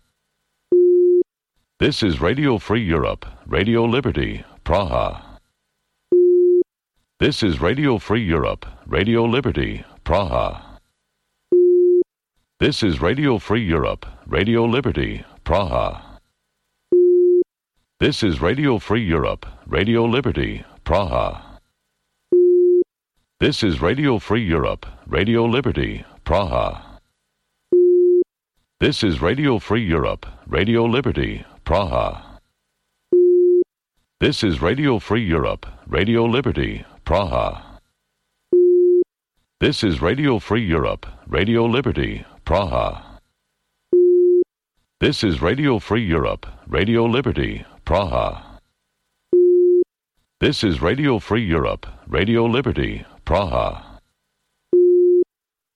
This is Radio Free Europe, Radio Liberty, Praha. This is Radio Free Europe, Radio Liberty, Praha. This is Radio Free Europe, Radio Liberty, Praha. This is Radio Free Europe, Radio Liberty, Praha. This is Radio Free Europe, Radio Liberty, Praha. This is Radio Free Europe, Radio Liberty, Praha. This is Radio Free Europe, Radio Liberty, Praha. This is Radio Free Europe, Radio Liberty, Praha. This is Radio Free Europe, Radio Liberty, Praha. This is Radio Free Europe, Radio Liberty, Praha.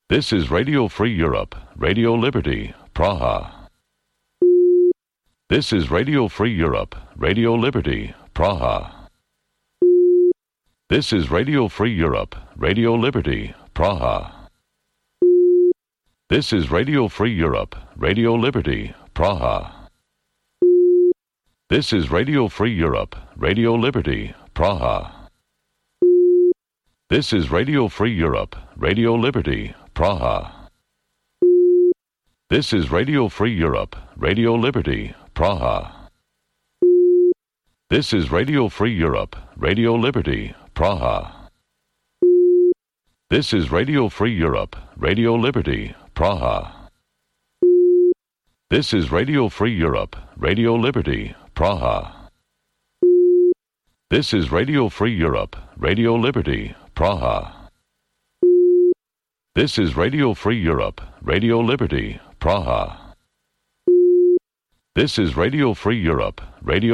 This is Radio Free Europe, Radio Liberty, Praha. This is Radio Free Europe, Radio Liberty, Praha. This is Radio Free Europe, Radio Liberty, Praha. This is Radio Free Europe, Radio Liberty, Praha. This is Radio Free Europe, Radio Liberty, Praha. This is Radio Free Europe, Radio Liberty, Praha. This is Radio Free Europe, Radio Liberty, Praha. This is Radio Free Europe, Radio Liberty, Praha. This is Radio Free Europe, Radio Liberty, Praha. This is Radio Free Europe, Radio Liberty, Praha. This is Radio Free Europe, Radio Liberty, Praha. This is Radio Free Europe, Radio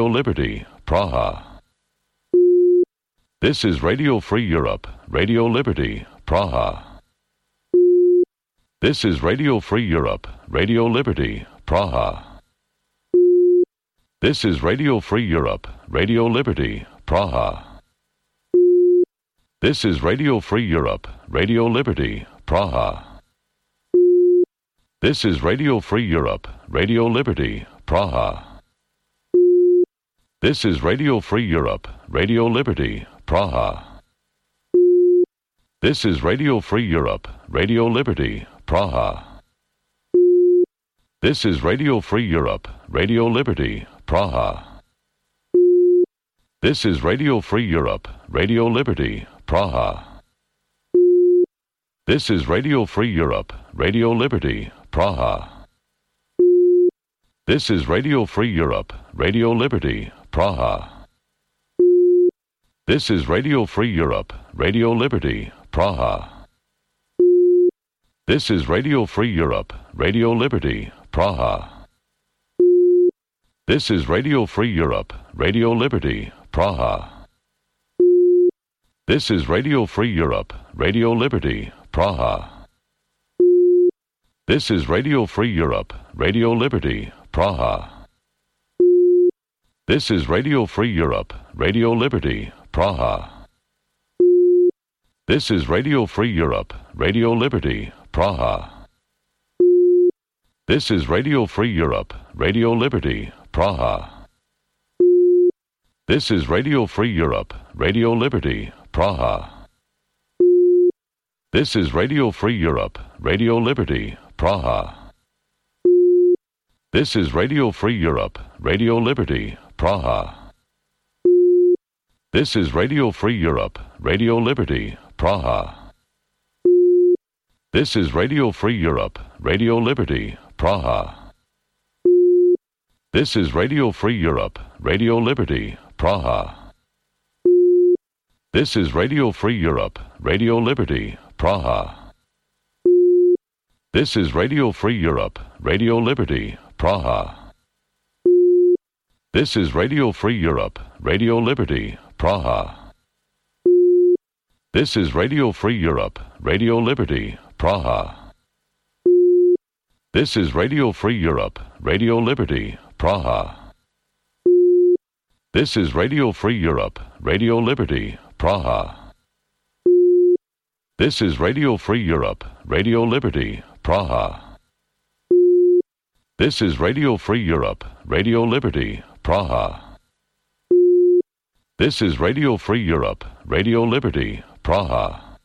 Liberty, Praha. This is Radio Free Europe, Radio Liberty, Praha. This is Radio Free Europe, Radio Liberty, Praha. This is Radio Free Europe, Radio Liberty, Praha. This is Radio Free Europe, Radio Liberty, Praha. This is Radio Free Europe, Radio Liberty, Praha. This is Radio Free Europe, Radio Liberty, Praha. This is Radio Free Europe, Radio Liberty, Praha. This is Radio Free Europe, Radio Liberty, Praha. This is Radio Free Europe, Radio Liberty, Praha. This is Radio Free Europe, Radio Liberty, Praha. This is Radio Free Europe, Radio Liberty, Praha. This is Radio Free Europe, Radio Liberty, Praha. This is Radio Free Europe, Radio Liberty, Praha. This is Radio Free Europe, Radio Liberty, Praha. This is Radio Free Europe, Radio Liberty, Praha. This is Radio Free Europe, Radio Liberty, Praha. This is Radio Free Europe, Radio Liberty, Praha. This is Radio Free Europe, Radio Liberty, Praha. This is Radio Free Europe, Radio Liberty, Praha. This is Radio Free Europe, Radio Liberty, Praha. This is Radio Free Europe, Radio Liberty, Praha. This is Radio Free Europe, Radio Liberty, Praha. This is Radio Free Europe, Radio Liberty, Praha. This is Radio Free Europe, Radio Liberty, Praha. This is Radio Free Europe, Radio Liberty, Praha. This is Radio Free Europe, Radio Liberty, Praha. This is Radio Free Europe, Radio Liberty, Praha. This is Radio Free Europe, Radio Liberty, Praha. This is Radio Free Europe, Radio Liberty, Praha. This is Radio Free Europe, Radio Liberty, Praha. This is Radio Free Europe, Radio Liberty, Praha. This is Radio Free Europe, Radio Liberty, Praha. This is Radio Free Europe, Radio Liberty, Praha. This is Radio Free Europe, Radio Liberty, Praha. This is Radio Free Europe, Radio Liberty, Praha.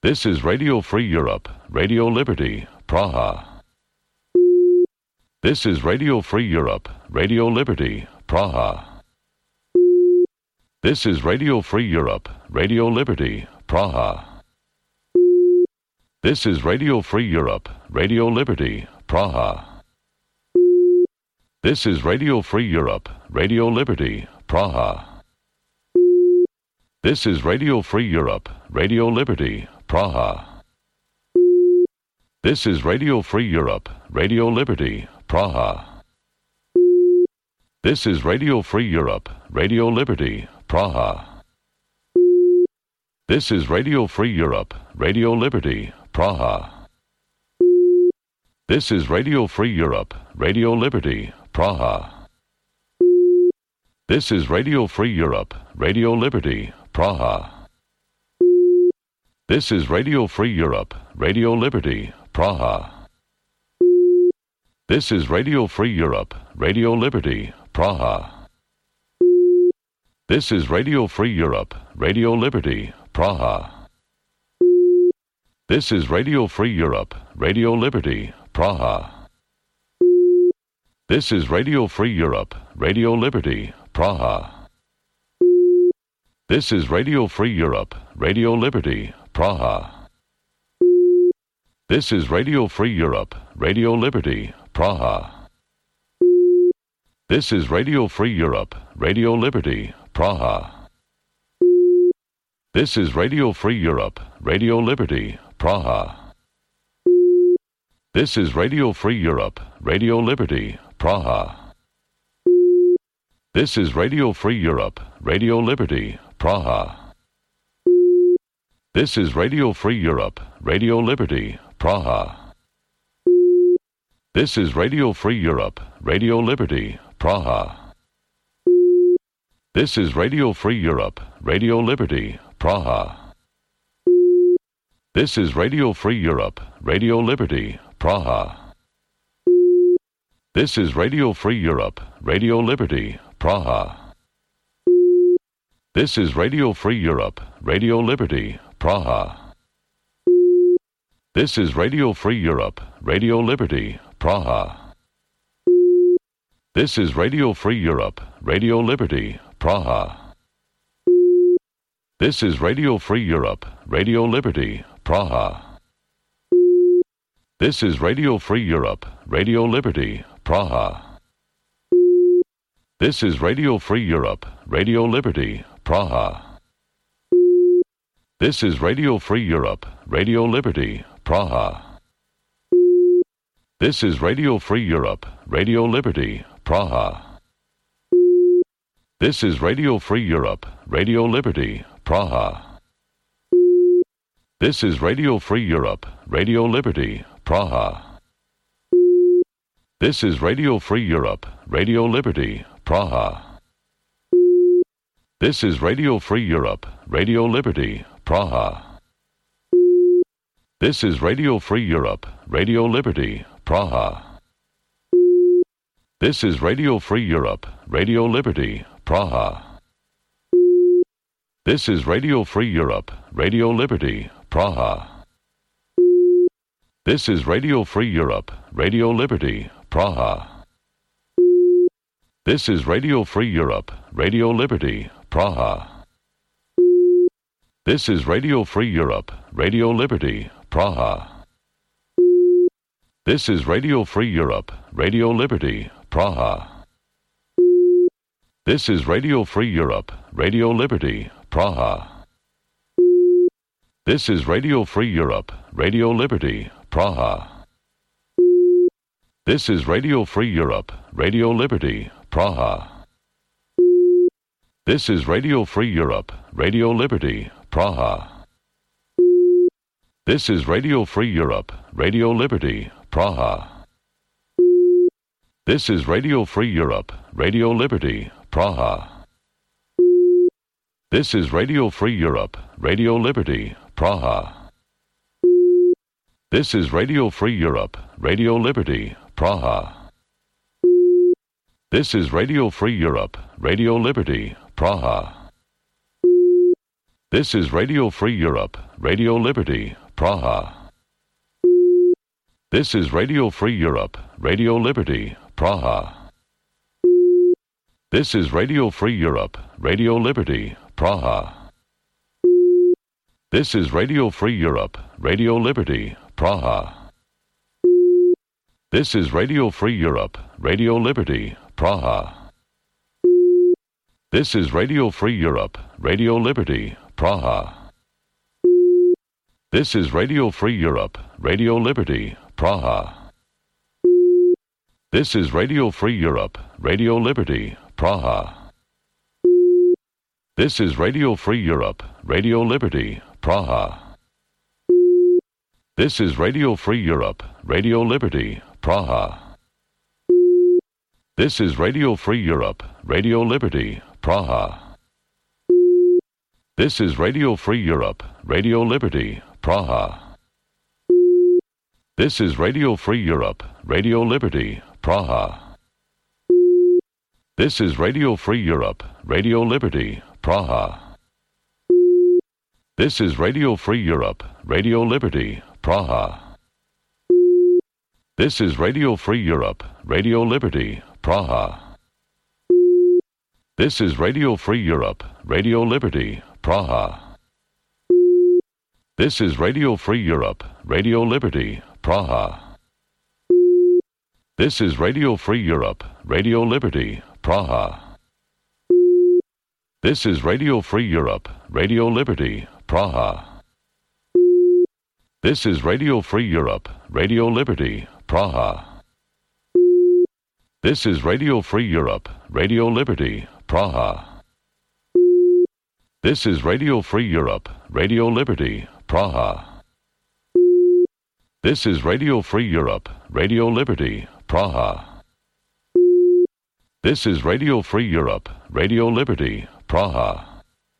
This is Radio Free Europe, Radio Liberty, Praha. This is Radio Free Europe, Radio Liberty, Praha. This is Radio Free Europe, Radio Liberty, Praha. This is Radio Free Europe, Radio Liberty, Praha. This is Radio Free Europe, Radio Liberty, Praha. This is Radio Free Europe, Radio Liberty, Praha. This is Radio Free Europe, Radio Liberty, Praha. This is Radio Free Europe, Radio Liberty, Praha. This is Radio Free Europe, Radio Liberty, Praha. This is Radio Free Europe, Radio Liberty, Praha. This is Radio Free Europe, Radio Liberty, Praha. This is Radio Free Europe, Radio Liberty, Praha. This is Radio Free Europe, Radio Liberty, Praha. This is Radio Free Europe, Radio Liberty, Praha. This is Radio Free Europe, Radio Liberty, Praha. This is Radio Free Europe, Radio Liberty, Praha. This is Radio Free Europe, Radio Liberty, Praha. This is Radio Free Europe, Radio Liberty, Praha. This is Radio Free Europe, Radio Liberty, Praha. This is Radio Free Europe, Radio Liberty, Praha. This is Radio Free Europe, Radio Liberty, Praha. This is Radio Free Europe, Radio Liberty, Praha. This is Radio Free Europe, Radio Liberty, Praha. This is Radio Free Europe, Radio Liberty, Praha. This is Radio Free Europe, Radio Liberty, Praha. This is Radio Free Europe, Radio Liberty, Praha. This is Radio Free Europe, Radio Liberty, Praha. This is Radio Free Europe, Radio Liberty, Praha. This is Radio Free Europe, Radio Liberty, Praha. This is Radio Free Europe, Radio Liberty, Praha. This is Radio Free Europe, Radio Liberty, Praha. This is Radio Free Europe, Radio Liberty, Praha. This is Radio Free Europe, Radio Liberty, Praha. This is Radio Free Europe, Radio Liberty, Praha. This is Radio Free Europe, Radio Liberty, Praha. This is Radio Free Europe, Radio Liberty, Praha. This is Radio Free Europe, Radio Liberty, Praha. This is Radio Free Europe, Radio Liberty, Praha. This is Radio Free Europe, Radio Liberty, Praha. This is Radio Free Europe, Radio Liberty, Praha. This is Radio Free Europe, Radio Liberty, Praha. This is Radio Free Europe, Radio Liberty, Praha. This is Radio Free Europe, Radio Liberty, Praha. This is Radio Free Europe, Radio Liberty, Praha. This is Radio Free Europe, Radio Liberty, Praha. This is Radio Free Europe, Radio Liberty, Praha. This is Radio Free Europe, Radio Liberty, Praha. This is Radio Free Europe, Radio Liberty, Praha. This is Radio Free Europe, Radio Liberty, Praha. This is Radio Free Europe, Radio Liberty, Praha. This is Radio Free Europe, Radio Liberty, Praha. This is Radio Free Europe, Radio Liberty, Praha. This is Radio Free Europe, Radio Liberty, Praha. This is Radio Free Europe, Radio Liberty, Praha. This is Radio Free Europe, Radio Liberty, Praha. This is Radio Free Europe, Radio Liberty, Praha. This is Radio Free Europe, Radio Liberty, Praha. This is Radio Free Europe, Radio Liberty, Praha. This is Radio Free Europe, Radio Liberty, Praha. This is Radio Free Europe, Radio Liberty, Praha. This is Radio Free Europe, Radio Liberty, Praha. This is Radio Free Europe, Radio Liberty, Praha. This is Radio Free Europe, Radio Liberty, Praha. This is Radio Free Europe, Radio Liberty, Praha. This is Radio Free Europe, Radio Liberty, Praha. This is Radio Free Europe, Radio Liberty, Praha. This is Radio Free Europe, Radio Liberty, Praha. This is Radio Free Europe, Radio Liberty, Praha. This is Radio Free Europe, Radio Liberty, Praha. This is Radio Free Europe, Radio Liberty, Praha. This is Radio Free Europe, Radio Liberty, Praha. This is Radio Free Europe, Radio Liberty, Praha. This is Radio Free Europe, Radio Liberty, Praha. This is Radio Free Europe, Radio Liberty, Praha. This is Radio Free Europe, Radio Liberty, Praha. This is Radio Free Europe, Radio Liberty, Praha. This is Radio Free Europe, Radio Liberty, Praha. This is Radio Free Europe, Radio Liberty, Praha. This is Radio Free Europe, Radio Liberty, Praha. This is Radio Free Europe, Radio Liberty, Praha. This is Radio Free Europe, Radio Liberty, Praha.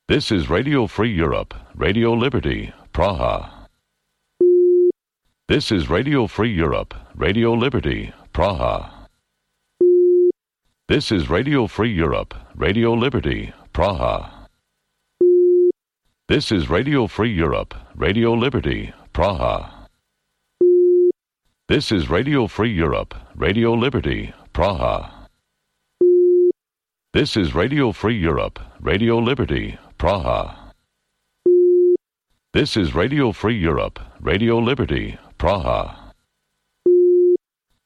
This is Radio Free Europe, Radio Liberty, Praha. This is Radio Free Europe, Radio Liberty, Praha. This is Radio Free Europe, Radio Liberty, Praha. This is Radio Free Europe, Radio Liberty, Praha. This is Radio Free Europe, Radio Liberty, Praha. This is Radio Free Europe, Radio Liberty, Praha.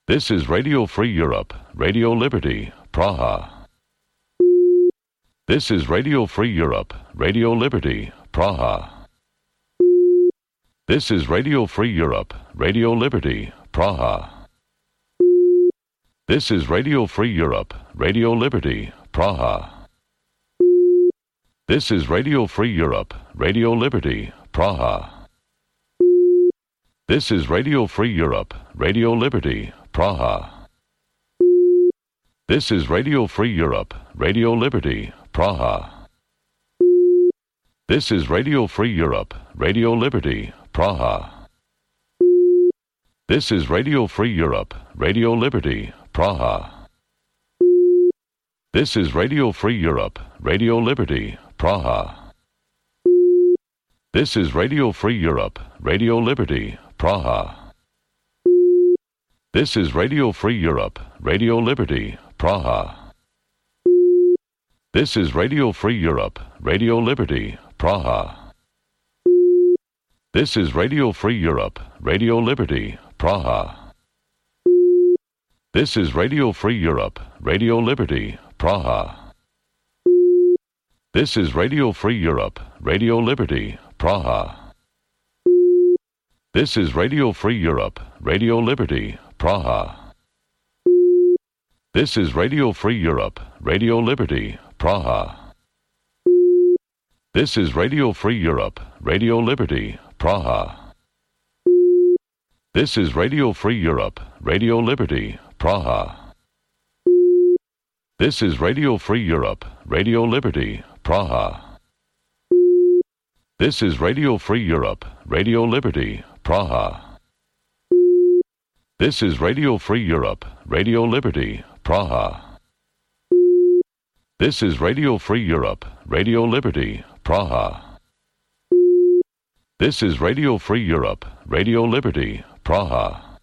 This is Radio Free Europe, Radio Liberty, Praha. This is Radio Free Europe, Radio Liberty, Praha. This is Radio Free Europe, Radio Liberty, Praha. This is Radio Free Europe, Radio Liberty, Praha. This is Radio Free Europe, Radio Liberty, Praha. This is Radio Free Europe, Radio Liberty, Praha. This is Radio Free Europe, Radio Liberty, Praha. This is Radio Free Europe, Radio Liberty, Praha. This is Radio Free Europe, Radio Liberty, Praha. This is Radio Free Europe, Radio Liberty, Praha. This is Radio Free Europe, Radio Liberty, Praha. This is Radio Free Europe, Radio Liberty, Praha. This is Radio Free Europe, Radio Liberty, Praha. This is Radio Free Europe, Radio Liberty, Praha. This is Radio Free Europe, Radio Liberty, Praha. This is Radio Free Europe, Radio Liberty, Praha. This is Radio Free Europe, Radio Liberty, Praha. This is Radio Free Europe, Radio Liberty, Praha. This is Radio Free Europe, Radio Liberty, Praha. This is Radio Free Europe, Radio Liberty, Praha. This is Radio Free Europe, Radio Liberty, Praha. This is Radio Free Europe, Radio Liberty, Praha. This is Radio Free Europe, Radio Liberty, Praha. This is Radio Free Europe, Radio Liberty, Praha. This is Radio Free Europe, Radio Liberty, Praha.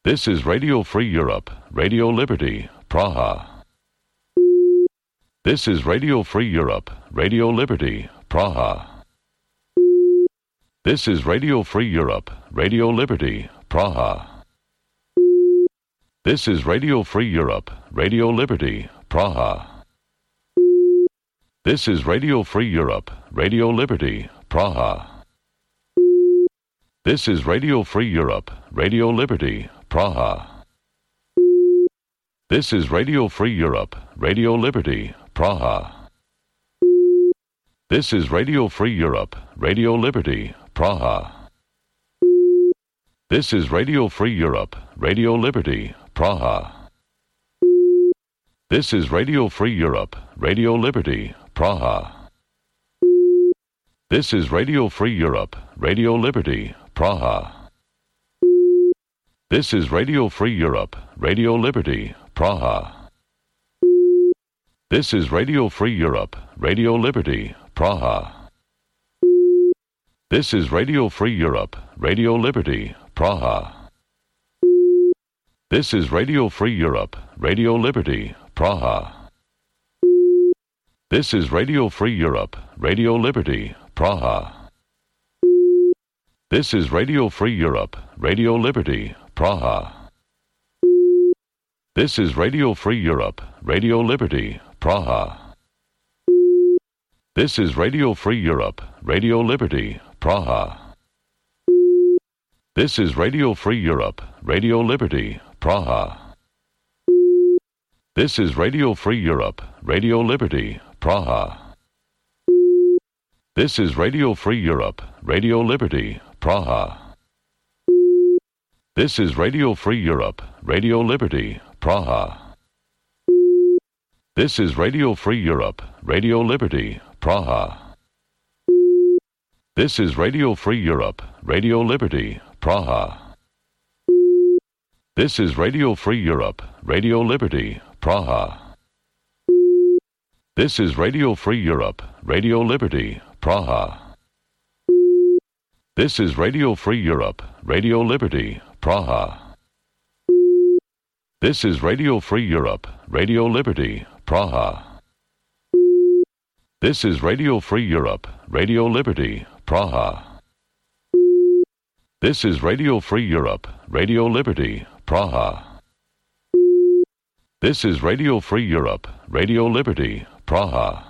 This is Radio Free Europe, Radio Liberty, Praha. This is Radio Free Europe, Radio Liberty, Praha. This is Radio Free Europe, Radio Liberty, Praha. This is Radio Free Europe, Radio Liberty, Praha. This is Radio Free Europe, Radio Liberty, Praha. This is Radio Free Europe, Radio Liberty, Praha. This is Radio Free Europe, Radio Liberty, Praha. This is Radio Free Europe, Radio Liberty, Praha. This is Radio Free Europe, Radio Liberty, Praha. This is Radio Free Europe, Radio Liberty, Praha. This is Radio Free Europe, Radio Liberty, Praha. This is Radio Free Europe, Radio Liberty, Praha. This is Radio Free Europe, Radio Liberty, Praha. This is Radio Free Europe, Radio Liberty, Praha. This is Radio Free Europe, Radio Liberty, Praha. This is Radio Free Europe, Radio Liberty, Praha. This is Radio Free Europe, Radio Liberty, Praha. This is Radio Free Europe, Radio Liberty, Praha. This is Radio Free Europe, Radio Liberty, Praha. This is Radio Free Europe, Radio Liberty, Praha. This is Radio Free Europe, Radio Liberty, Praha. This is Radio Free Europe, Radio Liberty, Praha. This is Radio Free Europe, Radio Liberty, Praha. This is Radio Free Europe, Radio Liberty, Praha. This is Radio Free Europe, Radio Liberty, Praha. This is Radio Free Europe, Radio Liberty, Praha. This is Radio Free Europe, Radio Liberty, Praha. This is Radio Free Europe, Radio Liberty, Praha. This is Radio Free Europe, Radio Liberty, Praha. This is Radio Free Europe, Radio Liberty, Praha. This is Radio Free Europe, Radio Liberty, Praha. This is Radio Free Europe, Radio Liberty, Praha.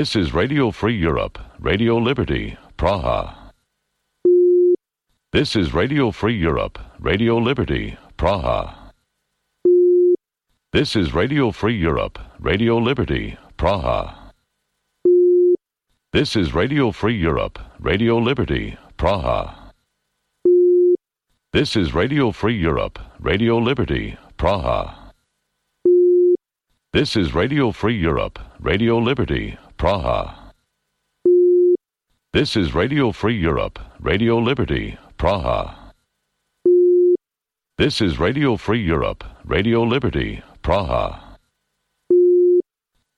This is Radio Free Europe, Radio Liberty, Praha. This is Radio Free Europe, Radio Liberty, Praha. This is Radio Free Europe, Radio Liberty, Praha. This is Radio Free Europe, Radio Liberty, Praha. This is Radio Free Europe, Radio Liberty, Praha. This is Radio Free Europe, Radio Liberty, Praha. This is Radio Free Europe, Radio Liberty, Praha. This is Radio Free Europe, Radio Liberty, Praha.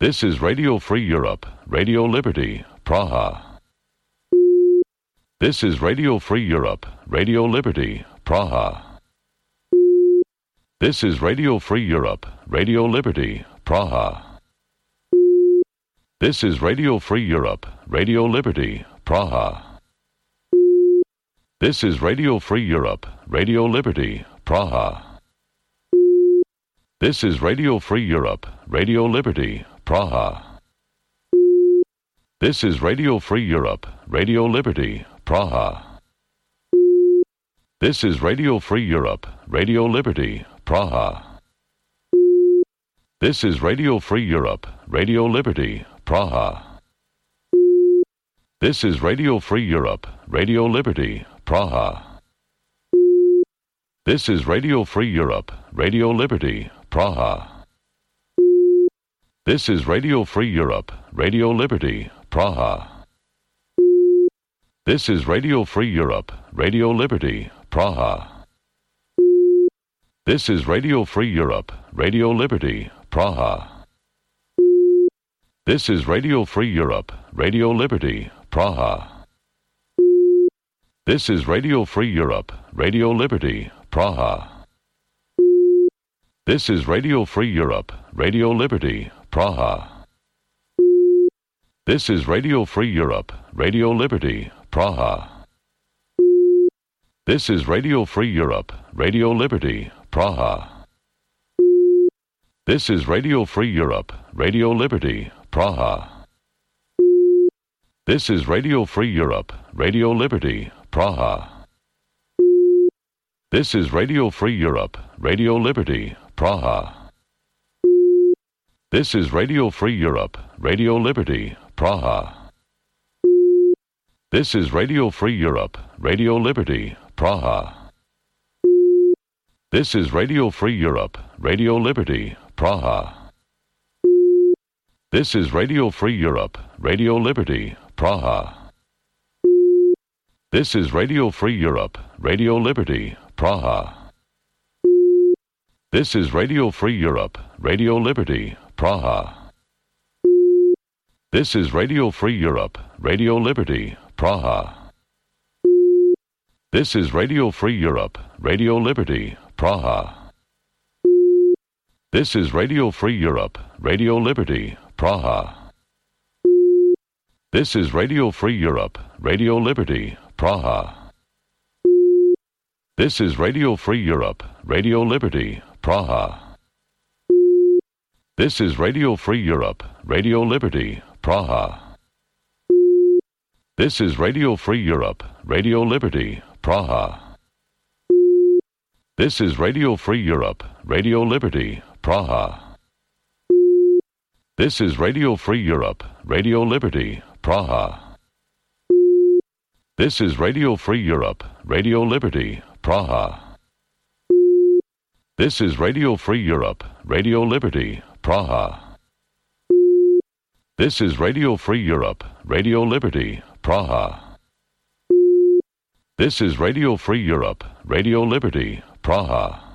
This is Radio Free Europe, Radio Liberty, Praha. This is Radio Free Europe, Radio Liberty, Praha. This is Radio Free Europe, Radio Liberty, Praha. This is Radio Free Europe, Radio Liberty, Praha. This is Radio Free Europe, Radio Liberty, Praha. This is Radio Free Europe, Radio Liberty, Praha. This is Radio Free Europe, Radio Liberty, Praha. This is Radio Free Europe, Radio Liberty, Praha. This is Radio Free Europe, Radio Liberty, Praha. This is Radio Free Europe, Radio Liberty, Praha. This is Radio Free Europe, Radio Liberty, Praha. This is Radio Free Europe, Radio Liberty, Praha. This is Radio Free Europe, Radio Liberty, Praha. This is Radio Free Europe, Radio Liberty, Praha. This is Radio Free Europe, Radio Liberty, Praha. This is Radio Free Europe, Radio Liberty, Praha. This is Radio Free Europe, Radio Liberty, Praha. This is Radio Free Europe, Radio Liberty, Praha. This is Radio Free Europe, Radio Liberty, Praha. This is Radio Free Europe, Radio Liberty, Praha. This is Radio Free Europe, Radio Liberty, Praha. This is Radio Free Europe, Radio Liberty, Praha. This is Radio Free Europe, Radio Liberty, Praha. This is Radio Free Europe, Radio Liberty, Praha. This is Radio Free Europe, Radio Liberty, Praha. This is Radio Free Europe, Radio Liberty, Praha. This is Radio Free Europe, Radio Liberty, Praha. This is Radio Free Europe, Radio Liberty, Praha. This is Radio Free Europe, Radio Liberty, Praha. This is Radio Free Europe, Radio Liberty, Praha. This is Radio Free Europe, Radio Liberty, Praha. This is Radio Free Europe, Radio Liberty, Praha. This is Radio Free Europe, Radio Liberty, Praha. This is Radio Free Europe, Radio Liberty, Praha. This is Radio Free Europe, Radio Liberty, Praha. This is Radio Free Europe, Radio Liberty, Praha. This is Radio Free Europe, Radio Liberty, Praha. This is Radio Free Europe, Radio Liberty, Praha. This is Radio Free Europe, Radio Liberty, Praha. This is Radio Free Europe, Radio Liberty, Praha. This is Radio Free Europe, Radio Liberty, Praha.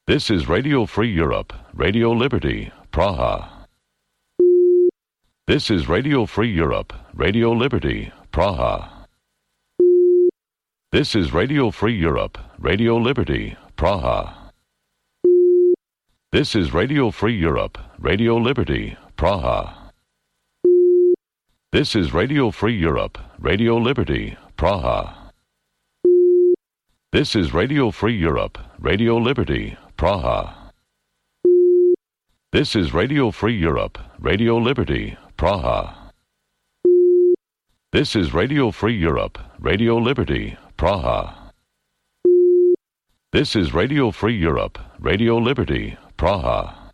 This is Radio Free Europe, Radio Liberty, Praha. This is Radio Free Europe, Radio Liberty, Praha. This is Radio Free Europe, Radio Liberty, Praha. This is Radio Free Europe, Radio Liberty, Praha. This is Radio Free Europe, Radio Liberty, Praha. This is Radio Free Europe, Radio Liberty, Praha. This is Radio Free Europe, Radio Liberty, Praha. This is Radio Free Europe, Radio Liberty, Praha. This is Radio Free Europe, Radio Liberty, Praha.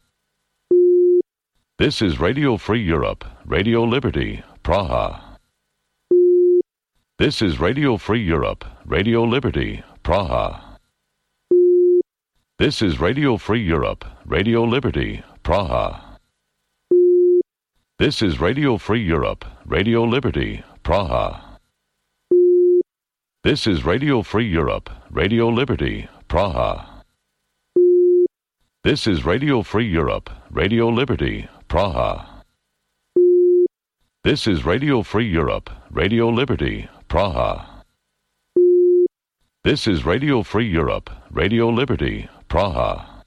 This is Radio Free Europe, Radio Liberty, Praha. This is Radio Free Europe, Radio Liberty, Praha. This is Radio Free Europe, Radio Liberty, Praha. This is Radio Free Europe, Radio Liberty, Praha. This is Radio Free Europe, Radio Liberty, Praha. This is Radio Free Europe, Radio Liberty, Praha. This is Radio Free Europe, Radio Liberty, Praha. This is Radio Free Europe, Radio Liberty, Praha.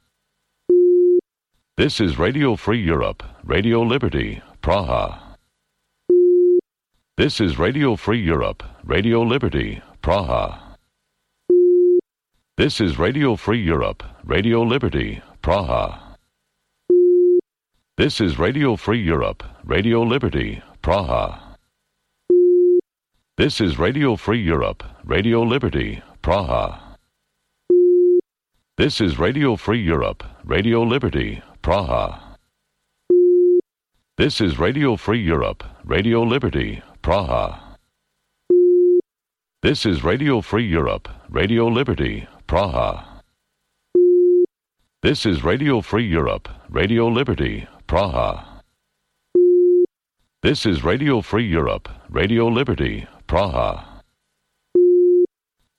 This is Radio Free Europe, Radio Liberty, Praha. This is Radio Free Europe, Radio Liberty, Praha. This is Radio Free Europe, Radio Liberty, Praha. This is Radio Free Europe, Radio Liberty, Praha. This is Radio Free Europe, Radio Liberty, Praha. This is Radio Free Europe, Radio Liberty, Praha. This is Radio Free Europe, Radio Liberty, Praha. This is Radio Free Europe, Radio Liberty, Praha. This is Radio Free Europe, Radio Liberty, Praha. This is Radio Free Europe, Radio Liberty, Praha.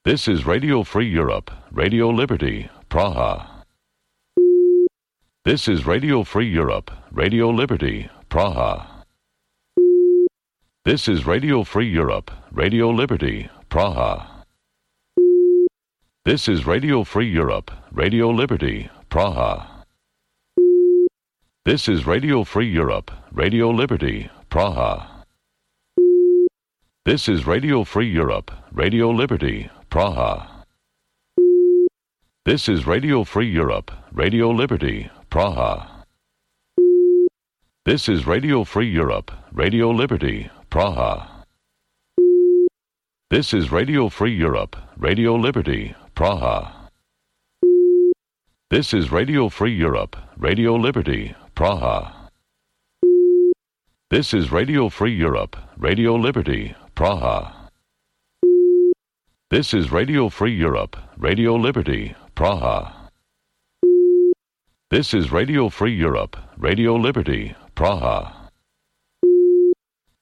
This is Radio Free Europe, Radio Liberty, Praha. This is Radio Free Europe, Radio Liberty, Praha. This is Radio Free Europe, Radio Liberty, Praha. This is Radio Free Europe, Radio Liberty, Praha. This is Radio Free Europe, Radio Liberty, Praha. This is Radio Free Europe, Radio Liberty, Praha. This is Radio Free Europe, Radio Liberty, Praha. This is Radio Free Europe, Radio Liberty, Praha. This is Radio Free Europe, Radio Liberty, Praha. This is Radio Free Europe, Radio Liberty, Praha. This is Radio Free Europe, Radio Liberty, Praha. This is Radio Free Europe, Radio Liberty, Praha. This is Radio Free Europe, Radio Liberty, Praha.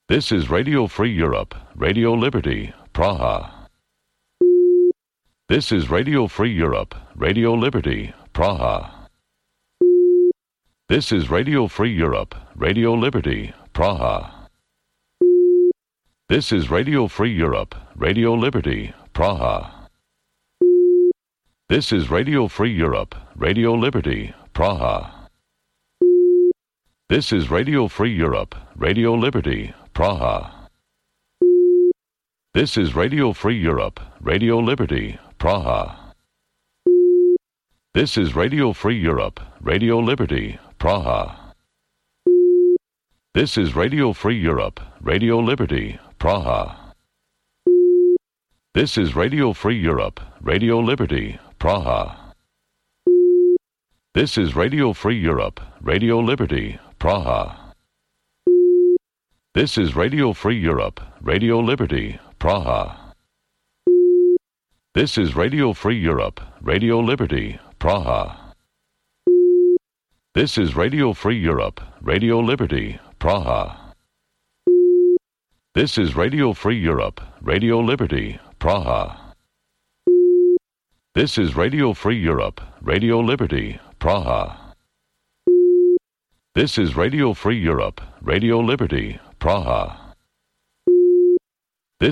This is Radio Free Europe, Radio Liberty, Praha. This is Radio Free Europe, Radio Liberty, Praha. This is Radio Free Europe, Radio Liberty, Praha. This is Radio Free Europe, Radio Liberty, Praha. This is Radio Free Europe, Radio Liberty, Praha. This is Radio Free Europe, Radio Liberty, Praha. This is Radio Free Europe, Radio Liberty, Praha. This is Radio Free Europe, Radio Liberty, Praha. This is Radio Free Europe, Radio Liberty, Praha. This is Radio Free Europe, Radio Liberty, Praha. This is Radio Free Europe, Radio Liberty, Praha. This is Radio Free Europe, Radio Liberty, Praha. This is Radio Free Europe, Radio Liberty, Praha. This is Radio Free Europe, Radio Liberty, Praha. This is Radio Free Europe, Radio Liberty, Praha. This is Radio Free Europe, Radio Liberty, Praha. This is Radio Free Europe, Radio Liberty, Praha.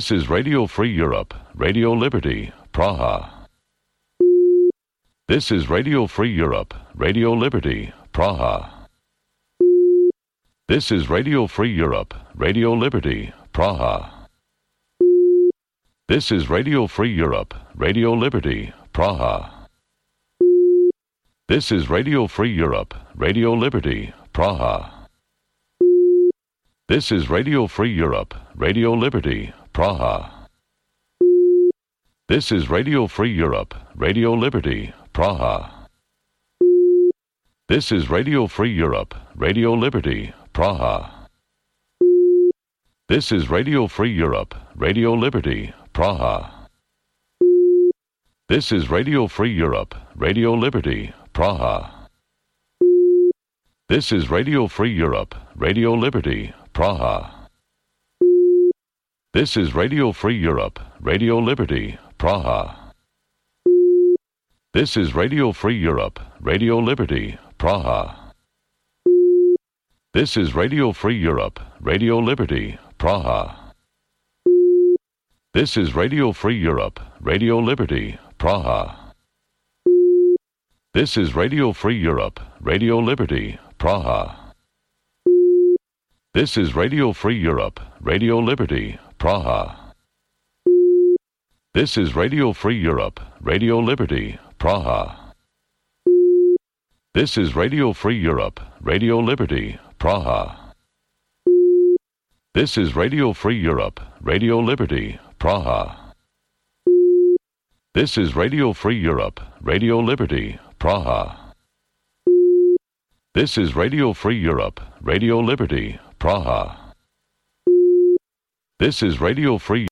This is Radio Free Europe, Radio Liberty, Praha. This is Radio Free Europe, Radio Liberty, Praha. This is Radio Free Europe, Radio Liberty, Praha. This is Radio Free Europe, Radio Liberty, Praha. This is Radio Free Europe, Radio Liberty, Praha. This is Radio Free Europe, Radio Liberty, Praha. This is Radio Free Europe, Radio Liberty, Praha. This is Radio Free Europe, Radio Liberty, Praha. This is Radio Free Europe, Radio Liberty, Praha. This is Radio Free Europe, Radio Liberty, Praha. This is Radio Free Europe, Radio Liberty, Praha. This is Radio Free Europe, Radio Liberty, Praha. This is Radio Free Europe, Radio Liberty, Praha. This is Radio Free Europe, Radio Liberty, Praha. This is Radio Free Europe, Radio Liberty, Praha. This is Radio Free Europe, Radio Liberty, Praha. This is Radio Free Europe, Radio Liberty, Praha. This is Radio Free Europe, Radio Liberty, Praha. This is Radio Free Europe, Radio Liberty, Praha. This is Radio Free Europe, Radio Liberty, Praha. This is Radio Free Europe, Radio Liberty, Praha. This is Radio Free Europe, Radio Liberty, Praha. This is Radio Free